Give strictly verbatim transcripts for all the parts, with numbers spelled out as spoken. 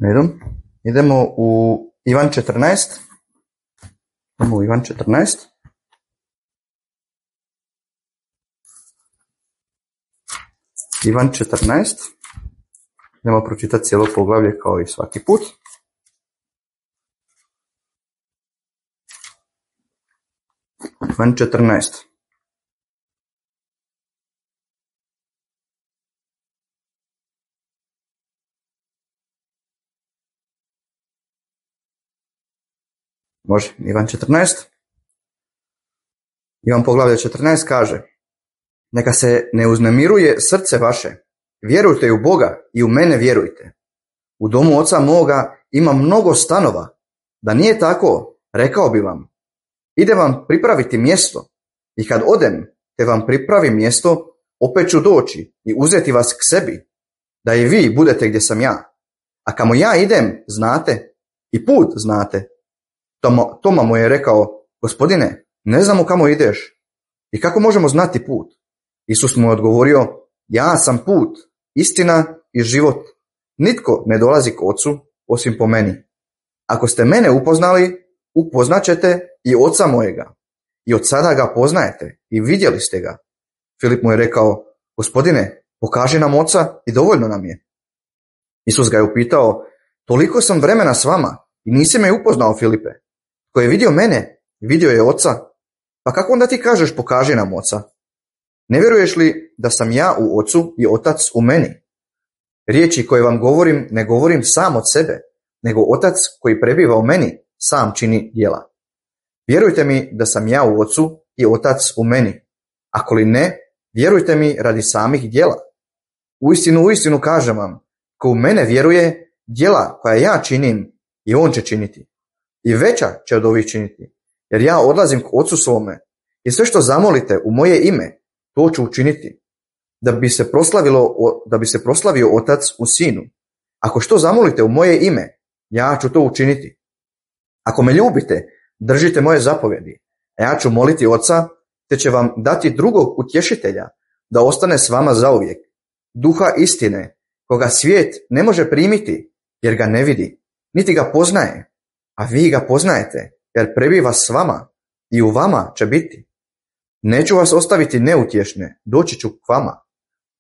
Redu. Idemo u Ivan četrnaest. Idemo u Ivan četrnaest. Ivan četrnaest. Idemo pročitati cijelo poglavlje kao i svaki put. Ivan četrnaest. Može, Ivan četrnaest. Ivan poglavlje četrnaest kaže: Neka se ne uznemiruje srce vaše, vjerujte u Boga i u mene vjerujte. U domu oca moga ima mnogo stanova, da nije tako, rekao bi vam. Idem vam pripraviti mjesto, i kad odem te vam pripravim mjesto, opet ću doći i uzeti vas k sebi, da i vi budete gdje sam ja. A kamo ja idem, znate, i put znate. Toma, Toma mu je rekao: Gospodine, ne znamo kamo ideš i kako možemo znati put? Isus mu je odgovorio: Ja sam put, istina i život. Nitko ne dolazi k ocu osim po meni. Ako ste mene upoznali, upoznaćete i oca mojega. I od sada ga poznajete i vidjeli ste ga. Filip mu je rekao: Gospodine, pokaži nam oca i dovoljno nam je. Isus ga je upitao: Toliko sam vremena s vama i nisi me upoznao, Filipe. Ko je vidio mene, vidio je oca. Pa kako onda ti kažeš pokaži nam oca? Ne vjeruješ li da sam ja u ocu i otac u meni? Riječi koje vam govorim ne govorim sam od sebe, nego otac koji prebiva u meni sam čini djela. Vjerujte mi da sam ja u ocu i otac u meni. Ako li ne, vjerujte mi radi samih djela. Uistinu, uistinu kažem vam, ko u mene vjeruje, djela koja ja činim i on će činiti. I veća će od ovih činiti, jer ja odlazim k ocu svome i sve što zamolite u moje ime, to ću učiniti, da bi se proslavilo, da bi se proslavio otac u sinu. Ako što zamolite u moje ime, ja ću to učiniti. Ako me ljubite, držite moje zapovjedi, a ja ću moliti oca, te će vam dati drugog utješitelja, da ostane s vama zauvijek, duha istine, koga svijet ne može primiti, jer ga ne vidi, niti ga poznaje, a vi ga poznajete, jer prebiva s vama i u vama će biti. Neću vas ostaviti neutješne, doći ću k vama.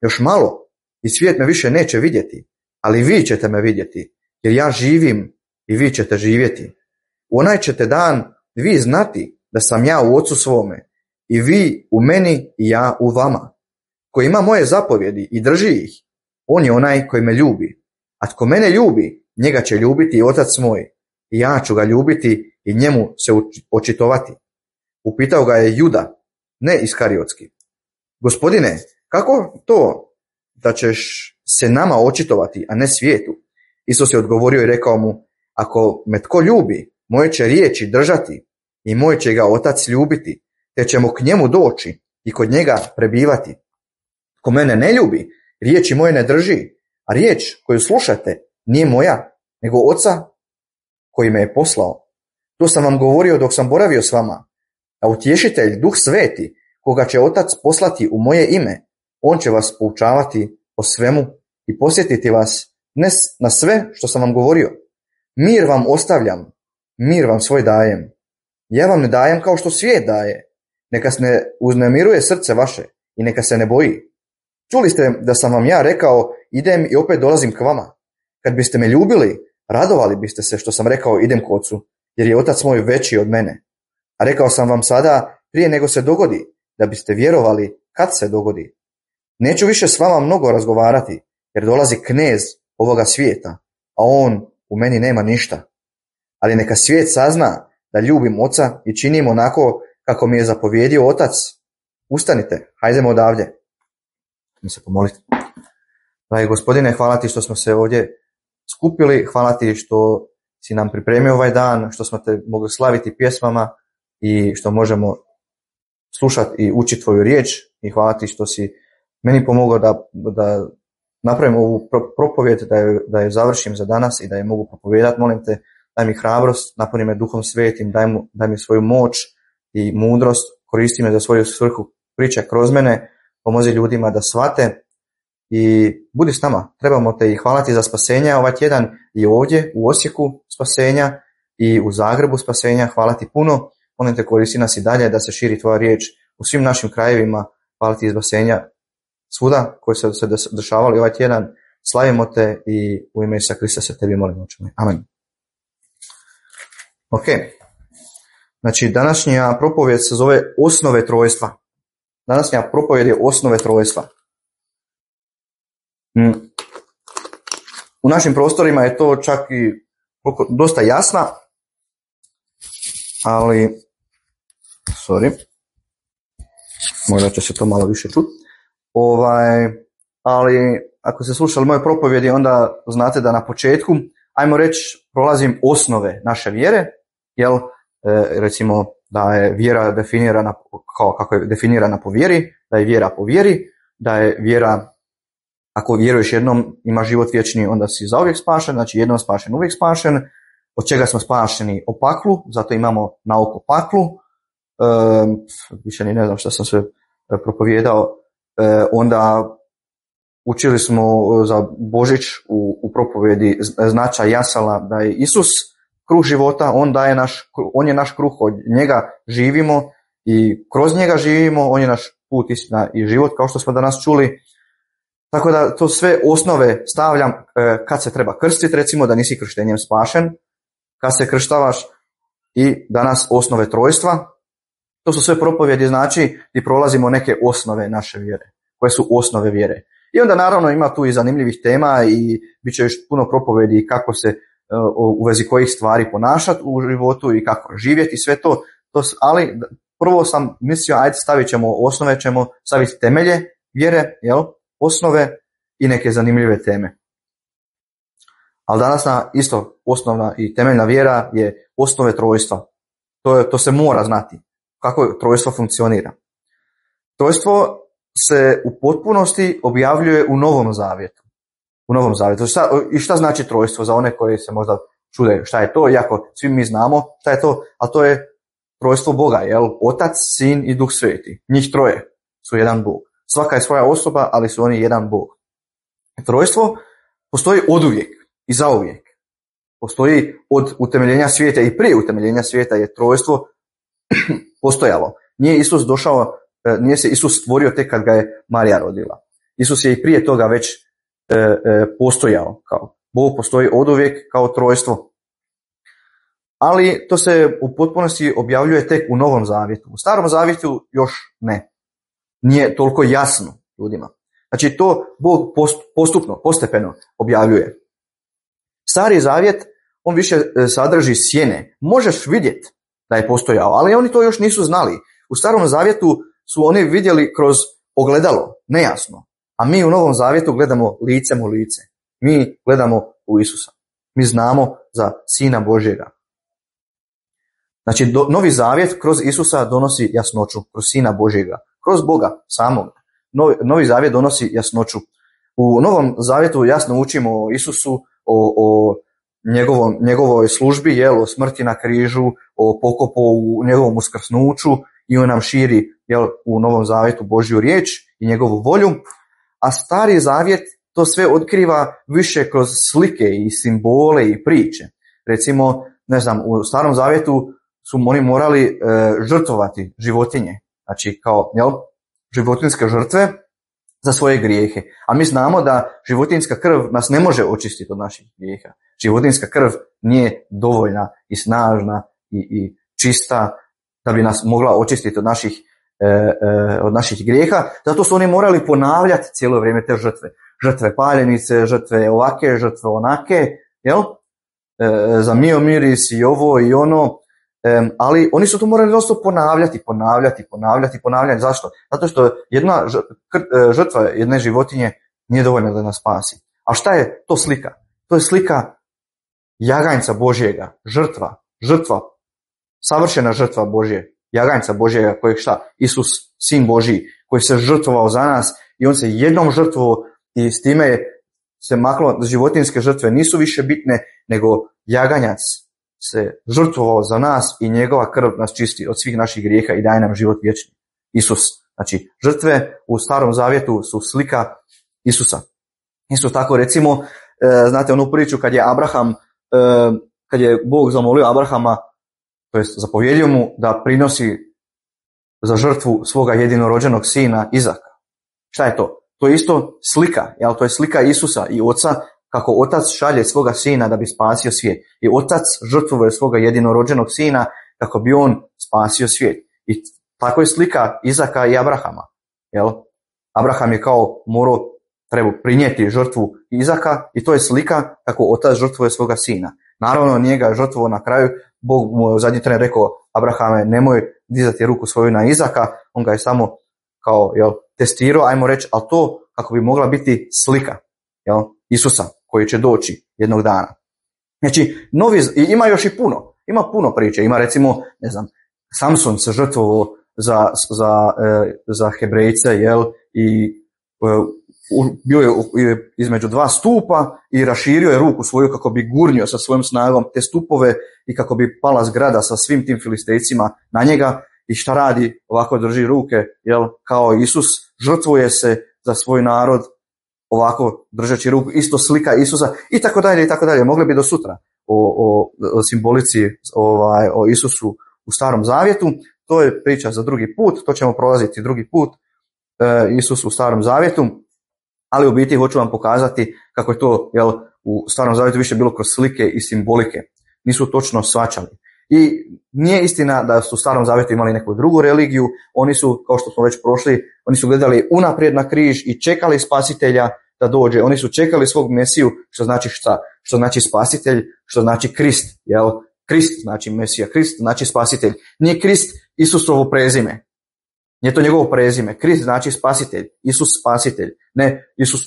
Još malo i svijet me više neće vidjeti, ali vi ćete me vidjeti, jer ja živim i vi ćete živjeti. U onaj ćete dan vi znati da sam ja u ocu svome i vi u meni i ja u vama. Ko ima moje zapovjedi i drži ih, on je onaj koji me ljubi. A tko mene ljubi, njega će ljubiti i otac moj, i ja ću ga ljubiti i njemu se očitovati. Upitao ga je Juda, ne Iskariotski: Gospodine, kako to da ćeš se nama očitovati, a ne svijetu? Isus je odgovorio i rekao mu: Ako me tko ljubi, moje će riječi držati i moj će ga otac ljubiti, te ćemo k njemu doći i kod njega prebivati. Ko mene ne ljubi, riječi moje ne drži, a riječ koju slušate nije moja, nego oca koji me je poslao. To sam vam govorio dok sam boravio s vama. A utješitelj, Duh Sveti, koga će otac poslati u moje ime, on će vas poučavati o svemu i posjetiti vas ne na sve što sam vam govorio. Mir vam ostavljam, mir vam svoj dajem. Ja vam ne dajem kao što svijet daje. Neka se ne uznemiruje srce vaše i neka se ne boji. Čuli ste da sam vam ja rekao: idem i opet dolazim k vama. Kad biste me ljubili, radovali biste se što sam rekao: idem k ocu, jer je otac moj veći od mene. A rekao sam vam sada prije nego se dogodi, da biste vjerovali kad se dogodi. Neću više s vama mnogo razgovarati, jer dolazi knez ovoga svijeta, a on u meni nema ništa. Ali neka svijet sazna da ljubim oca i činim onako kako mi je zapovjedio otac. Ustanite, hajdemo odavdje. Mi se pomoliti. Dragi Gospodine, hvala ti što smo se ovdje skupili, hvala ti što si nam pripremio ovaj dan, što smo te mogli slaviti pjesmama i što možemo slušati i učiti tvoju riječ, i hvala ti što si meni pomogao da, da napravim ovu propovjed, da je, da je završim za danas i da je mogu propovijedati. Molim te, daj mi hrabrost, napuni me Duhom Svetim, daj, mu, daj mi svoju moć i mudrost, koristi me za svoju svrhu, pričaj kroz mene, pomozi ljudima da shvate i budi s nama. Trebamo te i hvala ti za spasenje ovaj tjedan i ovdje u Osijeku spasenja i u Zagrebu spasenja. Hvala ti puno. Molim te, koristi nas i dalje da se širi tvoja riječ u svim našim krajevima. Hvala ti iz spasenja svuda koji se, se dešavali ovaj tjedan. Slavimo te i u ime Isusa Krista se tebi molimo. Amen. Ok. Znači, današnja propovjed se zove Osnove trojstva. Današnja propovjed je Osnove trojstva. U našim prostorima je to čak i dosta jasna, ali sorry, možda će se to malo više čuti. Ovaj, ali ako ste slušali moje propovjedi, onda znate da na početku, ajmo reći, prolazim osnove naše vjere, jel, e, recimo da je vjera definirana kao kako je definirana po vjeri, da je vjera po vjeri, da je vjera, ako vjeruješ jednom ima život vječni, onda si zauvijek spašen, znači jednom spašen, uvijek spašen. Od čega smo spašeni? O paklu, zato imamo nauku o paklu. E, više ni ne znam što sam sve propovijedao. E, onda učili smo za Božić u, u propovjedi značaj jasala da je Isus kruh života, on, daje naš, on je naš kruh, od njega živimo i kroz njega živimo, on je naš put, istina i život, kao što smo danas čuli. Tako da to sve osnove stavljam e, kad se treba krstiti, recimo da nisi krštenjem spašen, kad se krštavaš, i danas osnove trojstva. To su sve propovjedi, znači i prolazimo neke osnove naše vjere, koje su osnove vjere. I onda naravno ima tu i zanimljivih tema i bit će još puno propovjedi kako se u vezi kojih stvari ponašati u životu i kako živjeti, sve to, to ali prvo sam mislio, ajde stavit ćemo osnove, ćemo staviti temelje vjere, jel? Osnove i neke zanimljive teme. Ali danas na isto osnovna i temeljna vjera je osnove trojstva. To, je, to se mora znati kako trojstvo funkcionira. Trojstvo se u potpunosti objavljuje u Novom Zavjetu. U Novom Zavjetu. Šta, I šta znači trojstvo za one koji se možda čude šta je to, iako svi mi znamo šta je to, a to je trojstvo Boga, jel? Otac, Sin i Duh Sveti. Njih troje su jedan Bog. Svaka je svoja osoba, ali su oni jedan Bog. Trojstvo postoji oduvijek i zauvijek. Postoji od utemeljenja svijeta i prije utemeljenja svijeta je trojstvo postojalo. Nije Isus došao, nije se Isus stvorio tek kad ga je Marija rodila. Isus je i prije toga već e, e, postojao. Kao Bog postoji oduvijek kao trojstvo. Ali to se u potpunosti objavljuje tek u Novom Zavjetu. U Starom Zavjetu još ne. Nije toliko jasno ljudima. Znači to Bog postupno, postepeno objavljuje. Stari Zavjet, on više sadrži sjene. Možeš vidjeti da je postojao, ali oni to još nisu znali. U Starom Zavjetu su oni vidjeli kroz ogledalo, nejasno. A mi u Novom Zavjetu gledamo licem u lice. Mi gledamo u Isusa. Mi znamo za Sina Božjega. Znači, do, Novi Zavjet kroz Isusa donosi jasnoću, kroz Sina Božjega, kroz Boga samog. Novi, Novi Zavjet donosi jasnoću. U Novom Zavjetu jasno učimo o Isusu, o, o njegovom, njegovoj službi, jel, o smrti na križu, o pokopu u njegovom uskrsnuću, i on nam širi, jel, u Novom Zavjetu Božju riječ i njegovu volju. A Stari Zavjet to sve otkriva više kroz slike i simbole i priče. Recimo, ne znam, u Starom Zavjetu su oni morali e, žrtvovati životinje, znači kao, jel, životinjske žrtve za svoje grijehe. A mi znamo da životinjska krv nas ne može očistiti od naših grijeha. Životinjska krv nije dovoljna i snažna i, i čista da bi nas mogla očistiti od naših, e, e, od naših grijeha. Zato su oni morali ponavljati cijelo vrijeme te žrtve. Žrtve paljenice, žrtve ovake, žrtve onake, jel? E, za mio miris i ovo i ono. Um, ali oni su to morali dosta ponavljati, ponavljati, ponavljati, ponavljati. Zašto? Zato što jedna žrtva jedne životinje nije dovoljna da nas spasi. A šta je to slika? To je slika jaganjca Božjega, žrtva, žrtva, savršena žrtva Božje, jaganjca Božjega kojeg šta? Isus, Sin Božji, koji se žrtvovao za nas i on se jednom žrtvovao i s time se maklo, životinjske žrtve nisu više bitne, nego jaganjac se žrtvovao za nas i njegova krv nas čisti od svih naših grijeha i daje nam život vječni. Isus. Znači, žrtve u Starom Zavjetu su slika Isusa. Isto tako recimo, znate onu priču kad je Abraham, kad je Bog zamolio Abrahama, to jest zapovjedio mu da prinosi za žrtvu svoga jedinorođenog sina Izaka. Šta je to? To je isto slika, jel? To je slika Isusa i oca, kako otac šalje svoga sina da bi spasio svijet. I otac žrtvuje svoga jedinorođenog sina kako bi on spasio svijet. I tako je slika Izaka i Abrahama. Jel? Abraham je kao morao, treba prinijeti žrtvu Izaka i to je slika kako otac žrtvuje svoga sina. Naravno nije ga žrtvovao na kraju, Bog mu je u zadnji tren rekao, Abrahame, nemoj dizati ruku svoju na Izaka, on ga je samo kao jel, testirao, ajmo reći, ali to kako bi mogla biti slika jel, Isusa koji će doći jednog dana. Znači, novi, ima još i puno, ima puno priče, ima recimo, ne znam, Samson se žrtvovao za, za, za Hebrejce, jel, i bio je između dva stupa i raširio je ruku svoju kako bi gurnio sa svojom snagom te stupove i kako bi pala zgrada sa svim tim filistejcima na njega. I šta radi? Ovako drži ruke, jel, kao Isus, žrtvuje se za svoj narod, ovako držeći ruku, isto slika Isusa i tako dalje i tako dalje. Mogli bi do sutra o, o, o simbolici, ovaj, o Isusu u Starom Zavjetu. To je priča za drugi put, to ćemo prolaziti drugi put, e, Isus u Starom Zavjetu. Ali u biti hoću vam pokazati kako je to jel, u Starom Zavjetu više bilo kroz slike i simbolike. Nisu točno shvaćali. I nije istina da su u Starom Zavjetu imali neku drugu religiju. Oni su, kao što smo već prošli, oni su gledali unaprijed na križ i čekali spasitelja da dođe. Oni su čekali svog Mesiju, što znači šta? Što znači spasitelj, što znači Krist. Jel? Krist znači Mesija, Krist znači spasitelj. Nije Krist Isusovo prezime. Nije to njegovo prezime. Krist znači spasitelj. Isus spasitelj. Ne, Isus,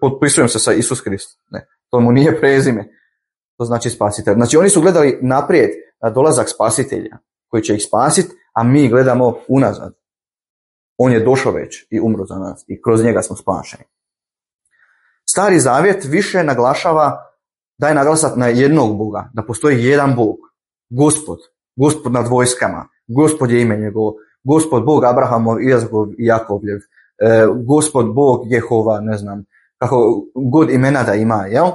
potpisujem se sa Isus Krist. Ne, to mu nije prezime. To znači spasitelj. Znači oni su gledali naprijed na dolazak spasitelja koji će ih spasiti, a mi gledamo unazad. On je došao već i umro za nas i kroz njega smo spašeni. Stari Zavjet više naglašava, daje naglasak na jednog Boga, da postoji jedan Bog, Gospod, Gospod nad vojskama, Gospod je ime njegovo, Gospod Bog Abrahamov, Izakov i Jakovljev, e, Gospod Bog Jehova, ne znam, kako god imena da ima, jel?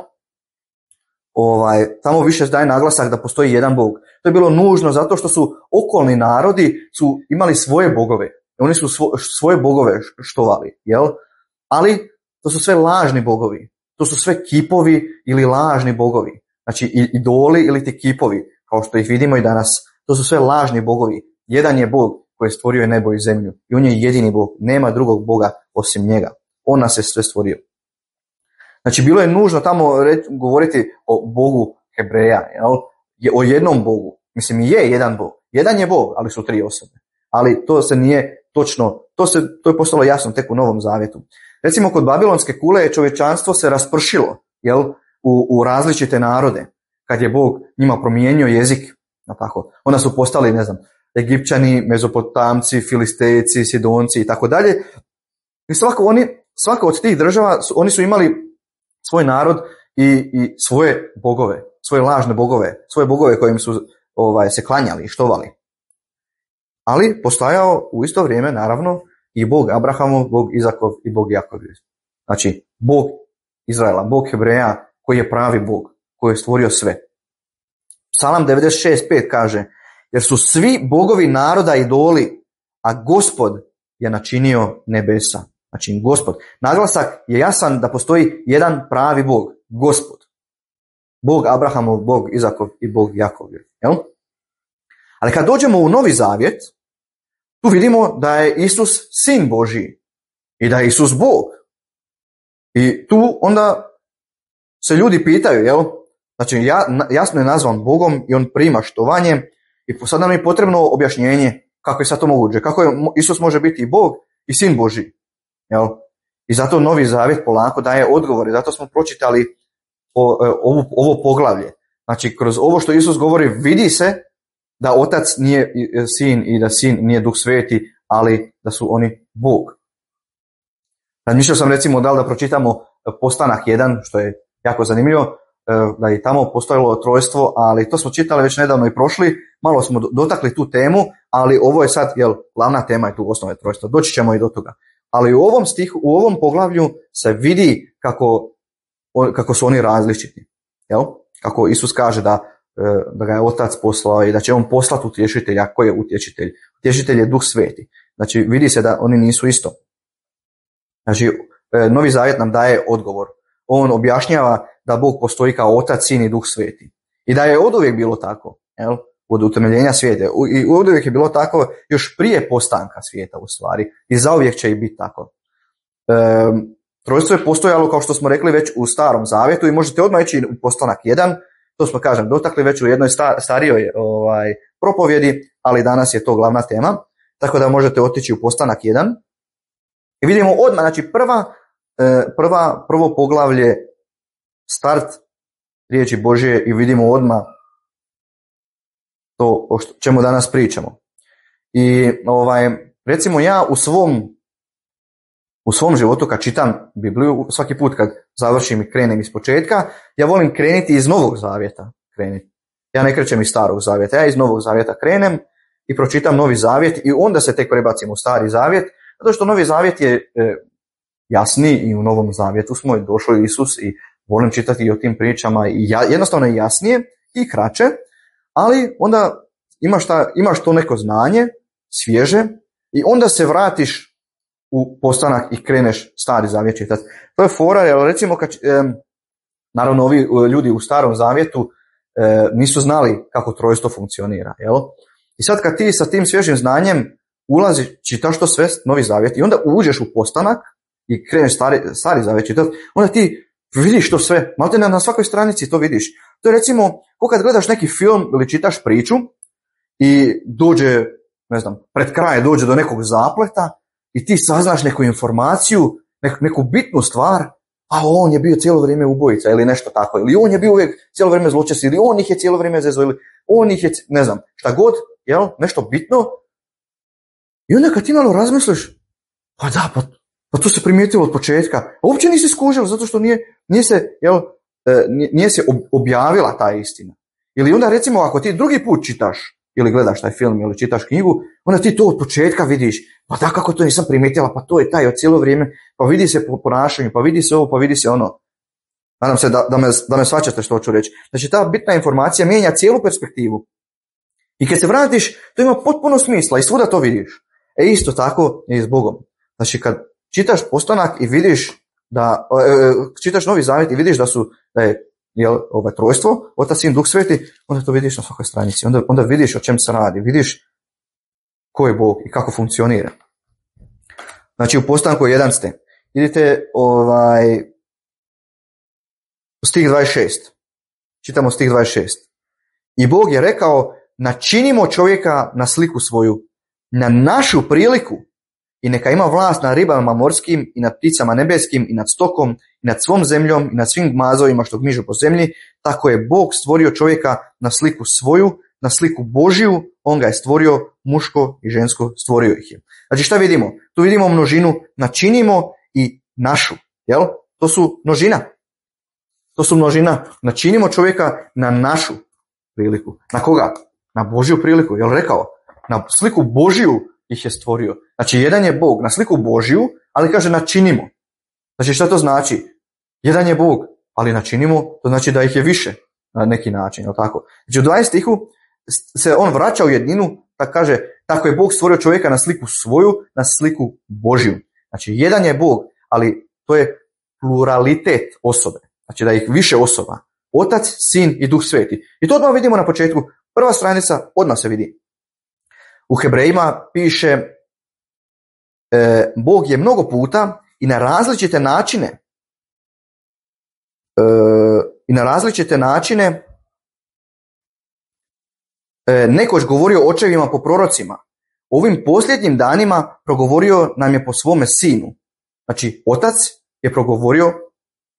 Ovaj, tamo više daje naglasak da postoji jedan Bog. To je bilo nužno zato što su okolni narodi su imali svoje bogove. Oni su svo, svoje bogove štovali, jel? Ali to su sve lažni bogovi. To su sve kipovi ili lažni bogovi. Znači idoli ili ti kipovi, kao što ih vidimo i danas. To su sve lažni bogovi. Jedan je Bog koji je stvorio nebo i zemlju. I on je jedini Bog. Nema drugog Boga osim njega. On nas je sve stvorio. Znači bilo je nužno tamo reći, govoriti o Bogu Hebreja, jel? O jednom Bogu. Mislim je jedan Bog. Jedan je Bog, ali su tri osobe. Ali to se nije točno, to, se, to je postalo jasno tek u Novom Zavjetu. Recimo kod Babilonske kule čovječanstvo se raspršilo, jel? U, u različite narode. Kad je Bog njima promijenio jezik, tako, onda su postali, ne znam, Egipćani, Mezopotamci, Filistejci, Sidonci i tako dalje. I svako, oni, svaka od tih država, oni su imali svoj narod i, i svoje bogove, svoje lažne bogove, svoje bogove kojim su ovaj, se klanjali i štovali. Ali postojao u isto vrijeme, naravno, i Bog Abrahamov, Bog Izakov i Bog Jakovljev. Znači, Bog Izraela, Bog Hebreja, koji je pravi Bog, koji je stvorio sve. Psalam devedeset šest pet kaže, jer su svi bogovi naroda idoli, a Gospod je načinio nebesa. Znači, Gospod. Naglasak je jasan da postoji jedan pravi Bog, Gospod. Bog Abrahamov, Bog Izakov i Bog Jakovljev. Jel? Ali kad dođemo u Novi Zavjet, tu vidimo da je Isus sin Božji i da je Isus Bog. I tu onda se ljudi pitaju, jel? Znači, ja, jasno je nazvan Bogom i on prima štovanje i sad nam je potrebno objašnjenje kako je sad to moguće. Kako je, Isus može biti i Bog i sin Božji. Jel? I zato Novi Zavjet polako daje odgovore. Zato smo pročitali ovo, ovo poglavlje. Znači, kroz ovo što Isus govori vidi se da otac nije sin i da sin nije Duh Sveti, ali da su oni Bog. Razmišljao sam recimo da li da pročitamo Postanak jedan, što je jako zanimljivo, da je tamo postojalo trojstvo, ali to smo čitali već nedavno i prošli, malo smo dotakli tu temu, ali ovo je sad, jel, glavna tema je tu osnove trojstva. Doći ćemo i do toga. ali u ovom stihu, u ovom poglavlju se vidi kako, kako su oni različiti. Jel? Kako Isus kaže da, da ga je Otac poslao i da će on poslati utješitelja. Ko je utješitelj? Utješitelj je Duh Sveti. Znači vidi se da oni nisu isto. Znači Novi Zavjet nam daje odgovor. On objašnjava da Bog postoji kao Otac, Sin i Duh Sveti. I da je oduvijek bilo tako. Jel? Od utemeljenja svijeta. I oduvijek je bilo tako još prije postanka svijeta u stvari. I zauvijek će i biti tako. E, trojstvo je postojalo, kao što smo rekli, već u Starom Zavjetu i možete odmah ići u Postanak jedan. To smo, kažem, dotakli već u jednoj star, starijoj ovaj, propovjedi, ali danas je to glavna tema. Tako da možete otići u Postanak jedan. I vidimo odmah, znači prva, prva, prvo poglavlje, start riječi Božje i vidimo odmah to o čemu danas pričamo. I ovaj, recimo ja u svom, u svom životu kad čitam Bibliju, svaki put kad završim i krenem iz početka, ja volim krenuti iz Novog Zavjeta. Krenuti. Ja ne krećem iz Starog Zavjeta, ja iz Novog Zavjeta krenem i pročitam Novi Zavjet i onda se tek prebacim u Stari Zavjet, zato što Novi Zavjet je e, jasniji i u Novom Zavjetu smo i došao Isus i volim čitati i o tim pričama i ja, jednostavno je jasnije i kraće, ali onda imaš, ta, imaš to neko znanje, svježe, i onda se vratiš u Postanak i kreneš Stari Zavjet čitati. To je fora, jer recimo, kad, e, naravno ovi ljudi u Starom Zavjetu e, nisu znali kako trojstvo funkcionira, jel? I sad kad ti sa tim svježim znanjem ulaziš, čitaš to sve, Novi Zavjet, i onda uđeš u Postanak i kreneš Stari, stari Zavjet čitati, onda ti vidiš to sve, malte na, na svakoj stranici to vidiš. To je recimo, ko kad gledaš neki film ili čitaš priču i dođe, ne znam, pred kraj dođe do nekog zapleta i ti saznaš neku informaciju, neku, neku bitnu stvar, a on je bio cijelo vrijeme ubojica ili nešto tako, ili on je bio uvijek cijelo vrijeme zločest, ili on ih je cijelo vrijeme zezo, ili on ih je, ne znam, šta god, jel, nešto bitno. I onda kad ti malo razmisliš, pa da, pa, pa to se primijetilo od početka, a uopće nisi skužio, zato što nije, nije se, jel, nije se objavila ta istina. Ili onda recimo ako ti drugi put čitaš ili gledaš taj film ili čitaš knjigu, onda ti to od početka vidiš, pa da, kako to nisam primijetila, pa to je taj od cijelo vrijeme, pa vidi se po ponašanju, pa vidi se ovo, pa vidi se ono. Nadam se da, da, me, da me shvaćate što hoću reći. Znači ta bitna informacija mijenja cijelu perspektivu. I kad se vratiš, to ima potpuno smisla i svuda to vidiš. E isto tako je i s Bogom. Znači kad čitaš Postanak i vidiš da, e, čitaš Novi Zavjet i vidiš da su, da je, jel, ovaj trojstvo, Otac, Sin, Duh Sveti, onda to vidiš na svakoj stranici. Onda, onda vidiš o čem se radi, vidiš ko je Bog i kako funkcionira. Znači u Postanku jedan ste. Vidite ovaj, stih dvadeset šest. Čitamo stih dvadeset šest. I Bog je rekao, načinimo čovjeka na sliku svoju, na našu priliku, i neka ima vlast nad ribama morskim i nad pticama nebeskim i nad stokom i nad svom zemljom i nad svim gmazovima što gmižu po zemlji. Tako je Bog stvorio čovjeka na sliku svoju, na sliku Božiju, on ga je stvorio, muško i žensko stvorio ih je. Znači šta vidimo? Tu vidimo množinu, načinimo i našu, jel? To su množina. To su množina. Načinimo čovjeka na našu priliku. Na koga? Na Božju priliku, jel rekao? Na sliku Božiju ih je stvorio. Znači, jedan je Bog na sliku Božju, ali kaže načinimo. Znači, šta to znači? Jedan je Bog, ali načinimo, to znači da ih je više na neki način, jel tako? Znači, u dvanaestom stihu se on vraća u jedninu, tako kaže, tako je Bog stvorio čovjeka na sliku svoju, na sliku Božju. Znači, jedan je Bog, ali to je pluralitet osobe. Znači, da ih više osoba. Otac, Sin i Duh Sveti. I to odmah vidimo na početku. Prva stranica odmah se vidi. U Hebrejima piše e, Bog je mnogo puta i na različite načine e, i na različite načine e, nekoć govorio očevima po prorocima. Ovim posljednjim danima progovorio nam je po svome sinu. Znači, Otac je progovorio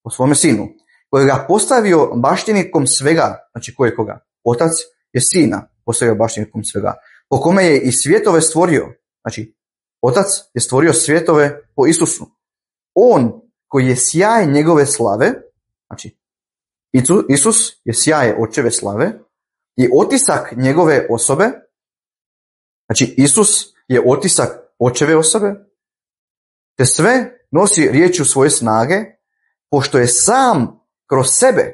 po svome sinu, koji ga postavio baštinikom svega. Znači, ko je koga? Otac je Sina postavio baštinikom svega, po kome je i svjetove stvorio. Znači, Otac je stvorio svjetove po Isusu. On koji je sjaj njegove slave, znači Isus je sjaj očeve slave i otisak njegove osobe. Znači, Isus je otisak očeve osobe te sve nosi riječju svoje snage, pošto je sam kroz sebe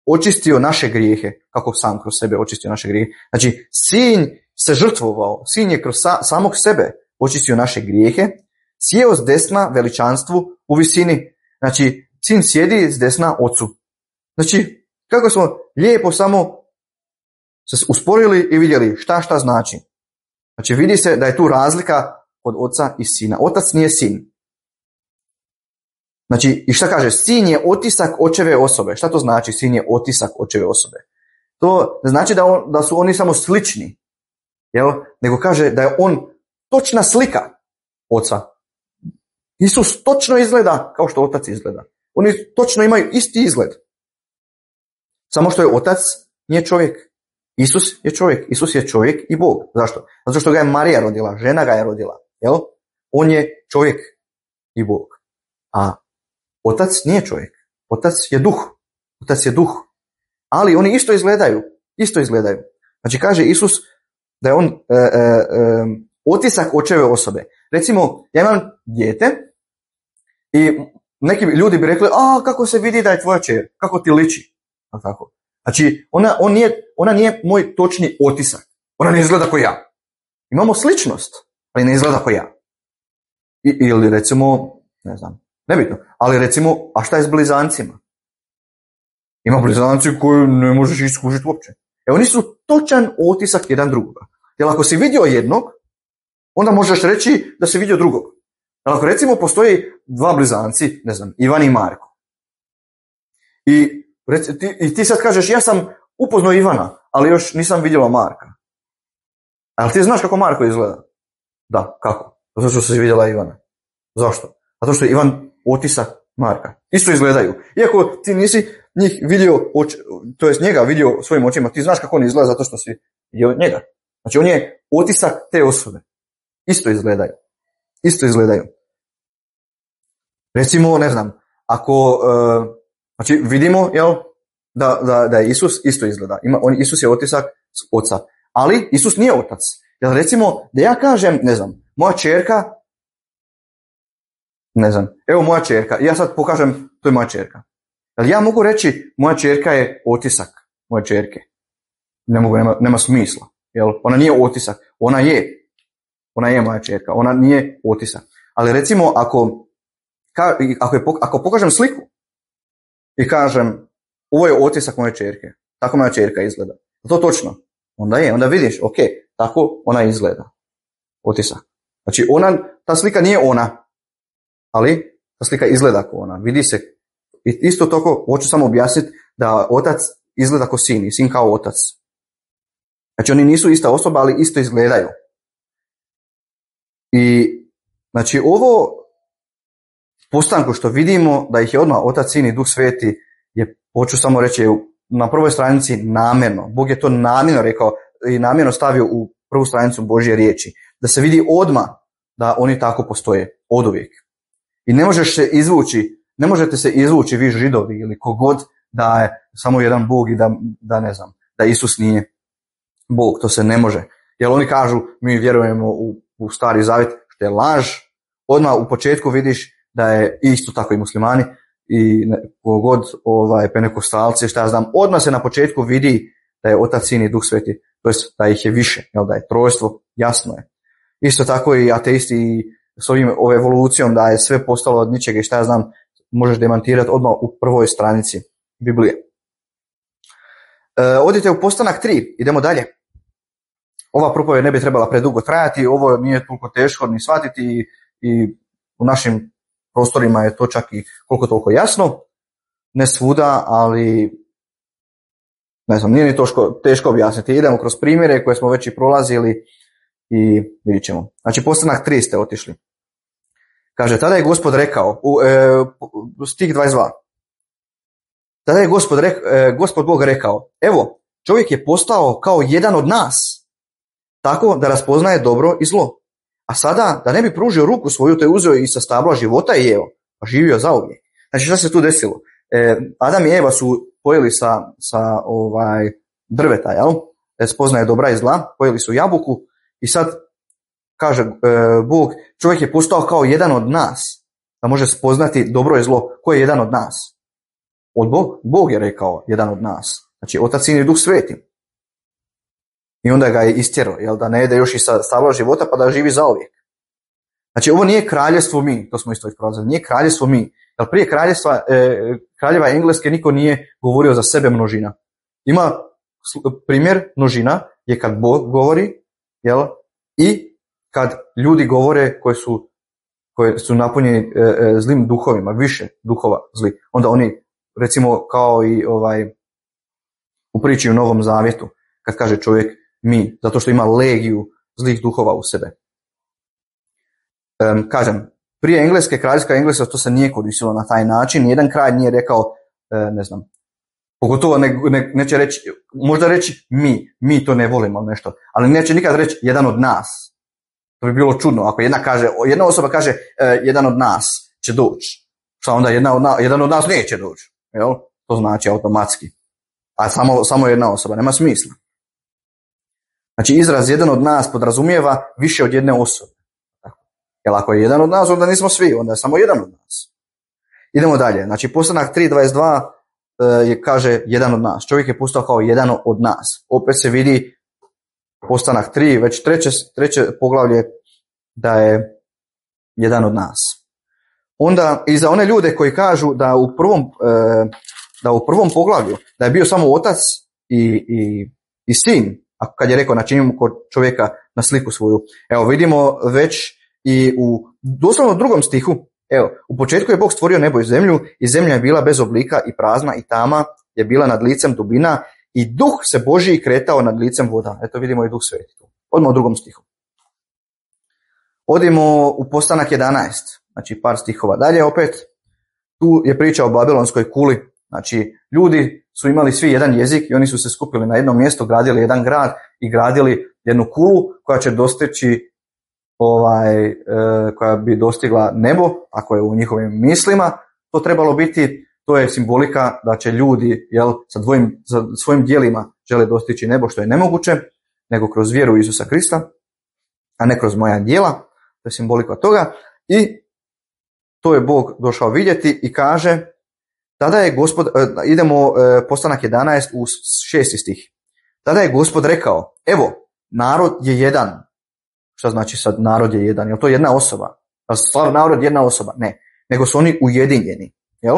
očistio naše grijehe. Kako sam kroz sebe očistio naše grijehe? Znači, sin se žrtvovao, sin je kroz sa, samog sebe očistio naše grijehe, sjeo s desna veličanstvu u visini. Znači, sin sjedi s desna ocu. Znači, kako smo lijepo samo se usporili i vidjeli šta šta znači. Znači, vidi se da je tu razlika od oca i sina. Otac nije sin. Znači, i šta kaže? Sin je otisak očeve osobe. Šta to znači? Sin je otisak očeve osobe. To ne znači da, on, da su oni samo slični, jel? Nego kaže da je on točna slika oca. Isus točno izgleda kao što otac izgleda. Oni točno imaju isti izgled. Samo što je otac nije čovjek. Isus je čovjek. Isus je čovjek i Bog. Zašto? Zato što ga je Marija rodila. Žena ga je rodila. Jel? On je čovjek i Bog. A otac nije čovjek. Otac je duh. Otac je duh. Ali oni isto izgledaju. Isto izgledaju. Znači kaže Isus da je on e, e, e, otisak očeve osobe. Recimo, ja imam dijete i neki ljudi bi rekli, a kako se vidi da je tvoja kćer, kako ti liči. A tako. Znači, ona, on nije, ona nije moj točni otisak. Ona ne izgleda kao ja. Imamo sličnost, ali ne izgleda kao ja. I, ili recimo, ne znam, nebitno, ali recimo, a šta je s blizancima? Ima blizanci koji ne možeš iskužiti uopće. E, oni su točan otisak jedan drugoga. Jer ako si vidio jednog, onda možeš reći da si vidio drugog. Jer ako recimo postoji dva blizanci, ne znam, Ivan i Marko. I, reci, ti, i ti sad kažeš, ja sam upoznao Ivana, ali još nisam vidjela Marka. Ali ti znaš kako Marko izgleda? Da, kako? Zato što si vidjela Ivana. Zašto? Zato što je Ivan otisak Marka. Isto izgledaju. Iako ti nisi njih vidio, to jest njega vidio svojim očima, ti znaš kako on izgleda zato što si vidio njega. Znači on je otisak te osobe. Isto izgledaju. Isto izgledaju. Recimo, ne znam, ako, uh, znači vidimo, jel, da, da, da je Isus isto izgleda. Ima, on, Isus je otisak oca. Ali Isus nije otac. Jel recimo, da ja kažem, ne znam, moja ćerka, ne znam, evo moja ćerka, ja sad pokažem, to je moja ćerka. Jel ja mogu reći, moja ćerka je otisak moje ćerke? Ne mogu, nema, nema smisla. Jel? Ona nije otisak, ona je. Ona je moja ćerka, ona nije otisak. Ali recimo, ako, ako, je, ako pokažem sliku i kažem, ovo je otisak moje ćerke, tako moja ćerka izgleda. To točno. Onda je, onda vidiš, ok, tako ona izgleda. Otisak. Znači, ona, ta slika nije ona, ali ta slika izgleda kao ona. Vidi se. I isto tako, hoću samo objasniti da otac izgleda kao sin i sin kao otac. Znači, oni nisu ista osoba, ali isto izgledaju. I, znači, ovo postanku što vidimo, da ih je odmah otac, sin i duh sveti, je, hoću samo reći, na prvoj stranici namjerno. Bog je to namjerno rekao i namjerno stavio u prvu stranicu Božje riječi. Da se vidi odmah da oni tako postoje. Oduvijek. I ne možeš se izvući, ne možete se izvući vi Židovi ili kogod da je samo jedan Bog i da, da ne znam, da Isus nije Bog. To se ne može. Jer oni kažu, mi vjerujemo u, u Stari Zavjet, što je laž. Odmah u početku vidiš da je isto tako i muslimani i kogod ovaj, pentekostalci, šta ja znam, odmah se na početku vidi da je Otac, Sin i Duh Sveti, to jest da ih je više, jel, da je trojstvo, jasno je. Isto tako i ateisti i s ovim ovom evolucijom da je sve postalo od ničega i šta ja znam, možeš demantirati odmah u prvoj stranici Biblije. E, odite u Postanak tri, idemo dalje. Ova propovijed ne bi trebala predugo trajati, ovo nije toliko teško ni shvatiti i, i u našim prostorima je to čak i koliko toliko jasno. Ne svuda, ali ne znam, nije ni teško, teško objasniti. Idemo kroz primjere koje smo već i prolazili i vidjet ćemo. Znači, Postanak tri ste otišli. Kaže, tada je Gospod rekao, u, e, stih dvadeset dva. Tada je Gospod, rek, e, Gospod Bog rekao, evo, čovjek je postao kao jedan od nas, tako da raspoznaje dobro i zlo. A sada, da ne bi pružio ruku svoju, te je uzeo i sa stabla života i jeo, pa živio zauvijek. Znači, šta se tu desilo? E, Adam i Eva su pojeli sa, sa ovaj, drveta, jel? E, spoznaje dobra i zla, pojeli su jabuku i sad kaže e, Bog, čovjek je postao kao jedan od nas, da može spoznati dobro i zlo. Ko je jedan od nas? Od Bog, Bog je rekao jedan od nas. Znači, Otac, Sin i Duh Sveti. I onda ga je istjerao, jel, da ne jede još i sa stabla života, pa da živi zauvijek. Znači, ovo nije kraljevstvo mi, to smo isto isprolazili, nije kraljevstvo mi. Jer prije kraljevstva, e, kraljeva Engleske niko nije govorio za sebe množina. Ima primjer množina je kad Bog govori, jel, i kad ljudi govore koji su, koji su napunjeni e, e, zlim duhovima, više duhova zli. Onda oni, recimo, kao i ovaj u priči u Novom Zavjetu, kad kaže čovjek mi, zato što ima legiju zlih duhova u sebe. Um, kažem, prije Engleske, kraljevska Engleska, to se nije koristilo na taj način. Nijedan kralj nije rekao, e, ne znam, pogotovo ne, ne, neće reći, možda reći mi, mi to ne volimo nešto, ali neće nikad reći jedan od nas. To bi bilo čudno, ako jedna kaže, jedna osoba kaže e, jedan od nas će doći. Šta onda jedna od na, jedan od nas neće doći, jel? To znači automatski. A samo, samo jedna osoba, nema smisla. Znači, izraz jedan od nas podrazumijeva više od jedne osobe. Jer ako je jedan od nas, onda nismo svi, onda je samo jedan od nas. Idemo dalje. Znači, Postanak tri dvadeset dva je, kaže jedan od nas. Čovjek je postao kao jedan od nas. Opet se vidi Postanak tri, već treće, treće poglavlje, da je jedan od nas. Onda i za one ljude koji kažu da u prvom, da u prvom poglavlju da je bio samo otac i, i, i sin, ako kad je rekao načinimo kod čovjeka na sliku svoju. Evo, vidimo već i u doslovno drugom stihu, evo, u početku je Bog stvorio nebo i zemlju i zemlja je bila bez oblika i prazna i tama je bila nad licem dubina i duh se Božji kretao nad licem voda. Eto vidimo i Duh Sveti. Odmah u drugom stihu. Odimo u Postanak jedanaest, znači par stihova dalje opet. Tu je priča o Babilonskoj kuli. Znači, ljudi su imali svi jedan jezik i oni su se skupili na jedno mjesto, gradili jedan grad i gradili jednu kulu koja će dostići ovaj, e, koja bi dostigla nebo, ako je u njihovim mislima, to trebalo biti, to je simbolika da će ljudi, jel, sa, dvojim, sa svojim djelima žele dostići nebo, što je nemoguće, nego kroz vjeru u Isusa Krista, a ne kroz moja djela, to je simbolika toga. I to je Bog došao vidjeti i kaže, tada je Gospod, e, idemo e, Postanak jedanaest u šesti stih. Tada je Gospod rekao, evo, narod je jedan. Šta znači sad narod je jedan? Jel to jedna osoba? Jel stvar narod je jedna osoba? Ne. Nego su oni ujedinjeni. Jel?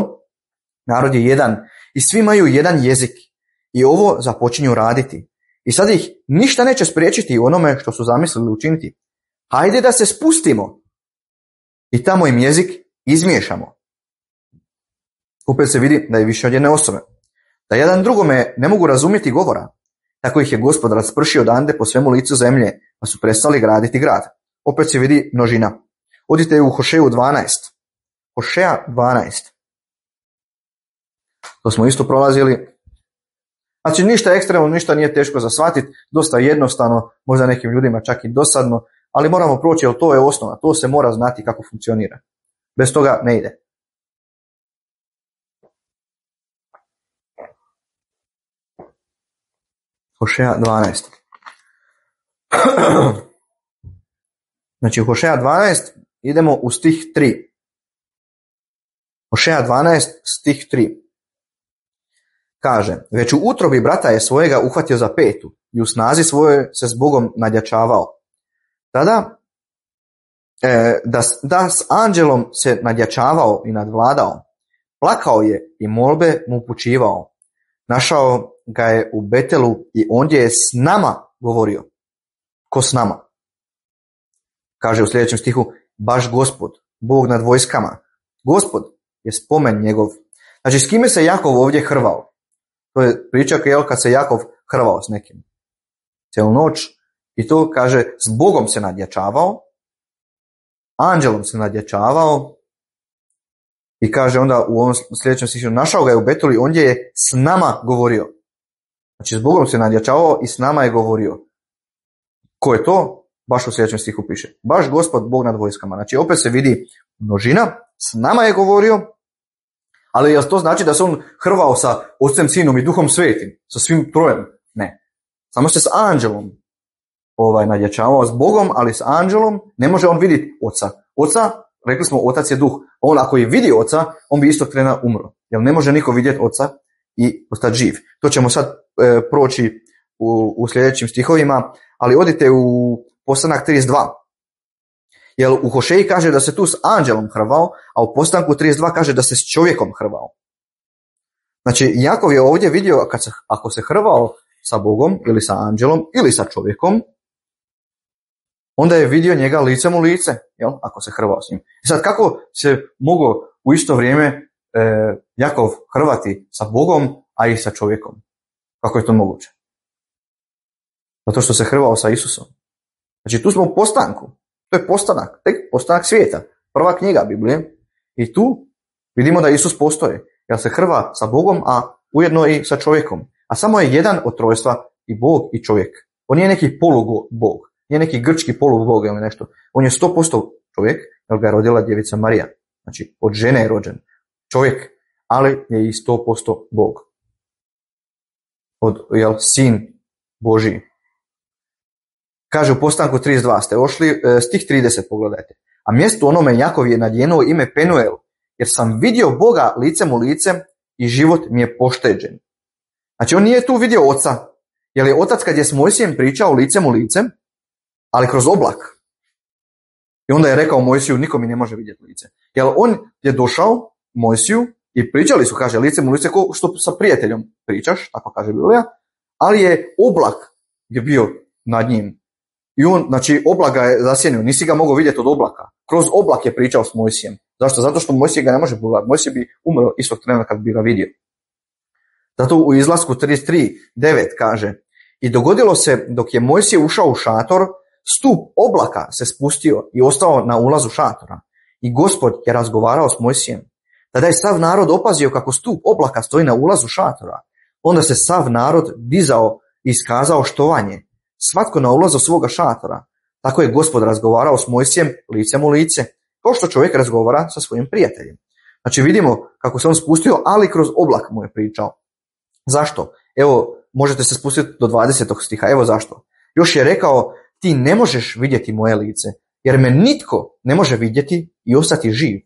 Narod je jedan. I svi imaju jedan jezik. I ovo započinju raditi. I sad ih ništa neće spriječiti u onome što su zamislili učiniti. Hajde da se spustimo. I tamo im jezik izmiješamo. Opet se vidi da je više od jedne osobe. Da jedan drugome ne mogu razumjeti govora. Tako ih je Gospod raspršio odande po svemu licu zemlje, pa su prestali graditi grad. Opet se vidi množina. Odite u Hošeju dvanaest. Hošeja dvanaest. To smo isto prolazili. Znači ništa ekstremno, ništa nije teško za shvatiti, dosta jednostavno, možda nekim ljudima čak i dosadno, ali moramo proći, jer to je osnova, to se mora znati kako funkcionira. Bez toga ne ide. Hošeja dvanaest. Znači u Hošeja dvanaest idemo u stih tri. Hošeja dvanaest stih tri. Kaže, već u utrobi brata je svojega uhvatio za petu i u snazi svoje se s Bogom nadjačavao. Tada e, da, da s anđelom se nadjačavao i nadvladao. Plakao je i molbe mu upućivao. Našao ga je u Betelu i ondje je s nama govorio. Ko s nama? Kaže u sljedećem stihu, baš Gospod, Bog nad vojskama. Gospod je spomen njegov. Znači s kime se Jakov ovdje hrvao? To je priča kad se Jakov hrvao s nekim. Cijelu noć. I to kaže, s Bogom se nadjačavao, anđelom se nadjačavao i kaže onda u ovom sljedećem stihu, našao ga je u Betelu i ondje je s nama govorio. Znači s Bogom se nadjačavao i s nama je govorio. Ko je to? Baš u sljedećem stihu piše. Baš Gospod, Bog nad vojskama. Znači opet se vidi množina, s nama je govorio, ali jel to znači da se on hrvao sa Otcem, Sinom i Duhom Svetim? Sa svim trojem? Ne. Samo se s anđelom ovaj, nadjačavao s Bogom, ali s anđelom ne može on vidjeti oca. Oca, rekli smo, otac je duh. On ako je vidio oca, on bi istog trena umro. Jer ne može niko vidjeti oca i ostati živ. To ćemo sad e, proći u, u sljedećim stihovima, ali odite u Postanak trideset dva. Jer u Hošeji kaže da se tu s anđelom hrvao, a u Postanku trideset dva kaže da se s čovjekom hrvao. Znači, Jakov je ovdje vidio kad se, ako se hrvao sa Bogom ili sa anđelom ili sa čovjekom, onda je vidio njega licem u lice, jel? Ako se hrvao s njim. I sad kako se moglo u isto vrijeme e, Jakov hrvati sa Bogom, a i sa čovjekom? Kako je to moguće? Zato što se hrvao sa Isusom. Znači tu smo u postanku. To je postanak, tek postanak svijeta. Prva knjiga Biblije. I tu vidimo da Isus postoji. Jer se hrva sa Bogom, a ujedno i sa čovjekom. A samo je jedan od trojstva, i Bog i čovjek. On nije neki polubog, nije neki grčki polubog ili nešto. On je sto posto čovjek, jer ga je rodila djevica Marija. Znači, od žene je rođen čovjek, ali je i sto posto Bog. Od, jel, sin Božiji. Kaže u Postanku trideset dva, ste ošli, stih trideset, pogledajte. A mjesto onome Jakov je nadjenuo ime Penuel, jer sam vidio Boga licem u lice i život mi je pošteđen. Znači on nije tu vidio oca, jer je otac kad je s Mojsijem pričao licem u lice, ali kroz oblak. I onda je rekao Mojsiju, niko mi ne može vidjeti lice. Jer on je došao Mojsiju i pričali su, kaže, licem u lice, ko što sa prijateljom pričaš, tako kaže Biblija, ali je oblak je bio nad njim. I on, znači, oblak ga je zasjenio, nisi ga mogao vidjeti od oblaka. Kroz oblak je pričao s Mojsijem. Zašto? Zato što Mojsije ga ne može pogledati. Mojsije bi umro istog trena kad bi ga vidio. Zato u Izlasku trideset tri devet kaže: i dogodilo se dok je Mojsije ušao u šator, stup oblaka se spustio i ostao na ulazu šatora. I Gospod je razgovarao s Mojsijem. Tada je sav narod opazio kako stup oblaka stoji na ulazu šatora. Onda se sav narod dizao i iskazao štovanje, svatko na ulazu svoga šatora. Tako je Gospod razgovarao s Mojsijem licem u lice, kao što čovjek razgovara sa svojim prijateljem. Znači vidimo kako se on spustio, ali kroz oblak mu je pričao. Zašto? Evo, možete se spustiti do dvadesetog stiha, evo zašto. Još je rekao, ti ne možeš vidjeti moje lice, jer me nitko ne može vidjeti i ostati živ.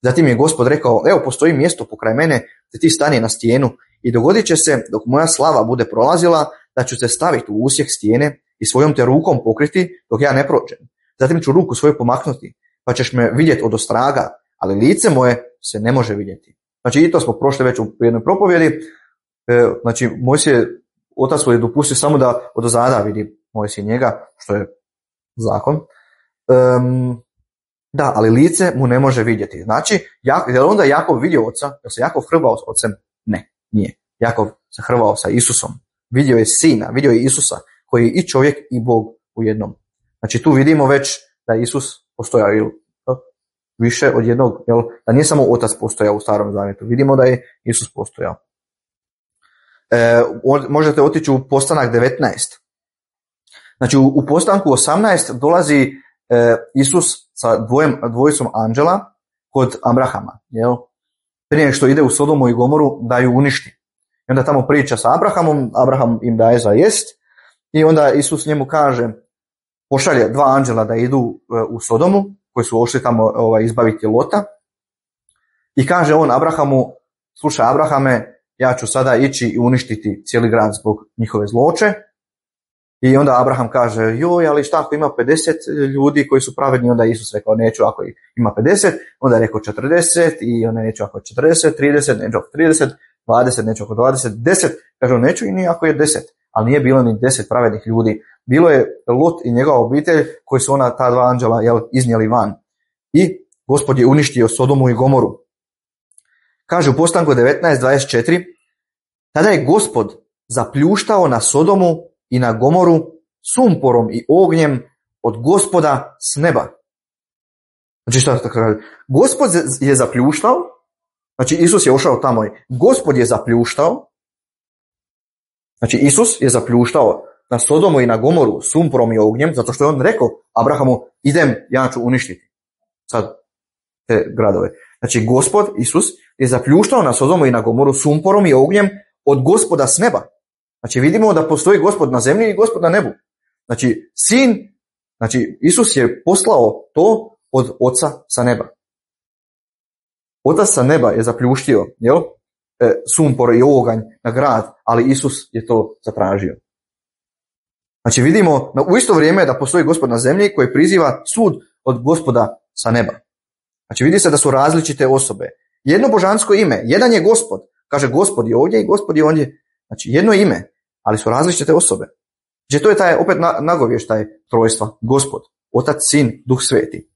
Zatim je Gospod rekao, evo postoji mjesto pokraj mene, da ti stani na stijenu i dogodit će se, dok moja slava bude prolazila, da ću te staviti u usjeh stijene i svojom te rukom pokriti dok ja ne prođem. Zatim ću ruku svoju pomaknuti, pa ćeš me vidjeti od ostraga, ali lice moje se ne može vidjeti. Znači i to smo prošli već u jednoj propovjedi. E, znači Mojsije, otac mu je dopustio samo da odozada vidi Mojsije njega, što je zakon. Um, da, ali lice mu ne može vidjeti. Znači, Jak, je li onda Jakov vidio oca? Je se Jakov hrvao s ocem? Ne, nije. Jakov se hrvao sa Isusom. Vidio je sina, vidio je Isusa, koji je i čovjek i Bog u jednom. Znači tu vidimo već da je Isus postojao ili više od jednog, jel, da nije samo otac postojao u Starom zavjetu. Vidimo da je Isus postojao. E, možete otići u Postanak devetnaest. Znači u, u Postanku osamnaest dolazi e, Isus sa dvojem, dvojicom anđela kod Abrahama. Jel? Prije što ide u Sodomu i Gomoru da ju uništi. I onda tamo priča sa Abrahamom, Abraham im daje za jest i onda Isus njemu kaže, pošalje dva anđela da idu u Sodomu, koji su ošli tamo ovaj, izbaviti Lota, i kaže on Abrahamu, slušaj Abrahame, ja ću sada ići i uništiti cijeli grad zbog njihove zloće. I onda Abraham kaže, joj, ali šta ako ima pedeset ljudi koji su pravedni, onda Isus rekao, neću ako ima pedeset, onda je rekao četrdeset, i onda neću ako je četrdeset, trideset, neću ako trideset, dvadeset, neću ako dvadeset, deset, kaže on, neću i ni ako je deset, ali nije bilo ni deset pravednih ljudi, bilo je Lot i njegova obitelj koji su ona, ta dva anđela, jel, iznijeli van. I Gospod je uništio Sodomu i Gomoru. Kaže u Postanku devetnaest dvadeset četiri, tada je Gospod zapljuštao na Sodomu i na Gomoru sumporom i ognjem od Gospoda s neba. Znači šta tako kaže? Gospod je zapljuštao, znači Isus je ušao tamo i Gospod je zapljuštao, znači Isus je zapljuštao na Sodomu i na Gomoru sumporom i ognjem, zato što je on rekao Abrahamu, idem, ja ću uništiti sad te gradove. Znači Gospod, Isus, je zapljuštao na Sodomu i na Gomoru sumporom i ognjem od Gospoda s neba. Znači vidimo da postoji Gospod na zemlji i Gospod na nebu. Znači, sin, znači, Isus je poslao to od oca sa neba. Otac sa neba je zapljuštio, jel? E, sumpor i oganj na grad, ali Isus je to zatražio. Znači, vidimo u isto vrijeme da postoji Gospod na zemlji koji priziva sud od Gospoda sa neba. Znači, vidi se da su različite osobe. Jedno božansko ime, jedan je Gospod, kaže Gospod je ovdje i Gospod je ondje. Znači, jedno ime, ali su različite osobe. Znači, to je taj, opet nagovještaj trojstva, Gospod, Otac, Sin, Duh Sveti.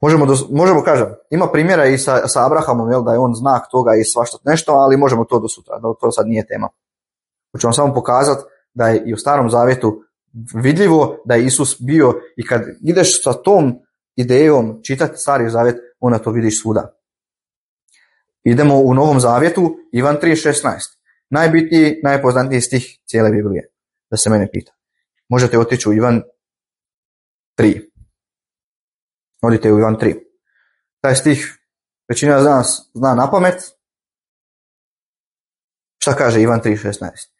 Možemo, možemo kažem, ima primjera i sa, sa Abrahamom, jel, da je on znak toga i svašta nešto, ali možemo to do sutra, da to sad nije tema. Hoću vam samo pokazati da je i u Starom Zavjetu vidljivo da je Isus bio, i kad ideš sa tom idejom čitati Stari Zavjet, onda to vidiš svuda. Idemo u Novom Zavjetu, Ivan tri šesnaest. Najbitniji, najpoznatiji stih cijele Biblije, da se mene pita. Možete otići u Ivan tri. Odite u Ivan tri. Taj stih većina zna, zna na pamet. Šta kaže Ivan tri šesnaest?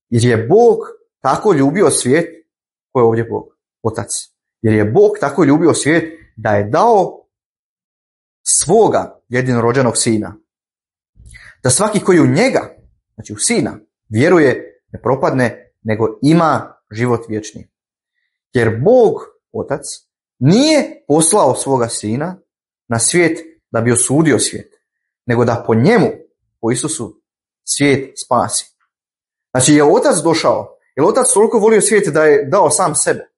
Jer je Bog tako ljubio svijet, ko je ovdje Bog? Otac. Jer je Bog tako ljubio svijet da je dao svoga jedinorođenog sina. Da svaki koji u njega, znači u sina, vjeruje, ne propadne, nego ima život vječni. Jer Bog, Otac, nije poslao svoga sina na svijet da bi osudio svijet, nego da po njemu, po Isusu, svijet spasi. Znači, je Otac došao? Je li Otac toliko volio svijet da je dao sam sebe?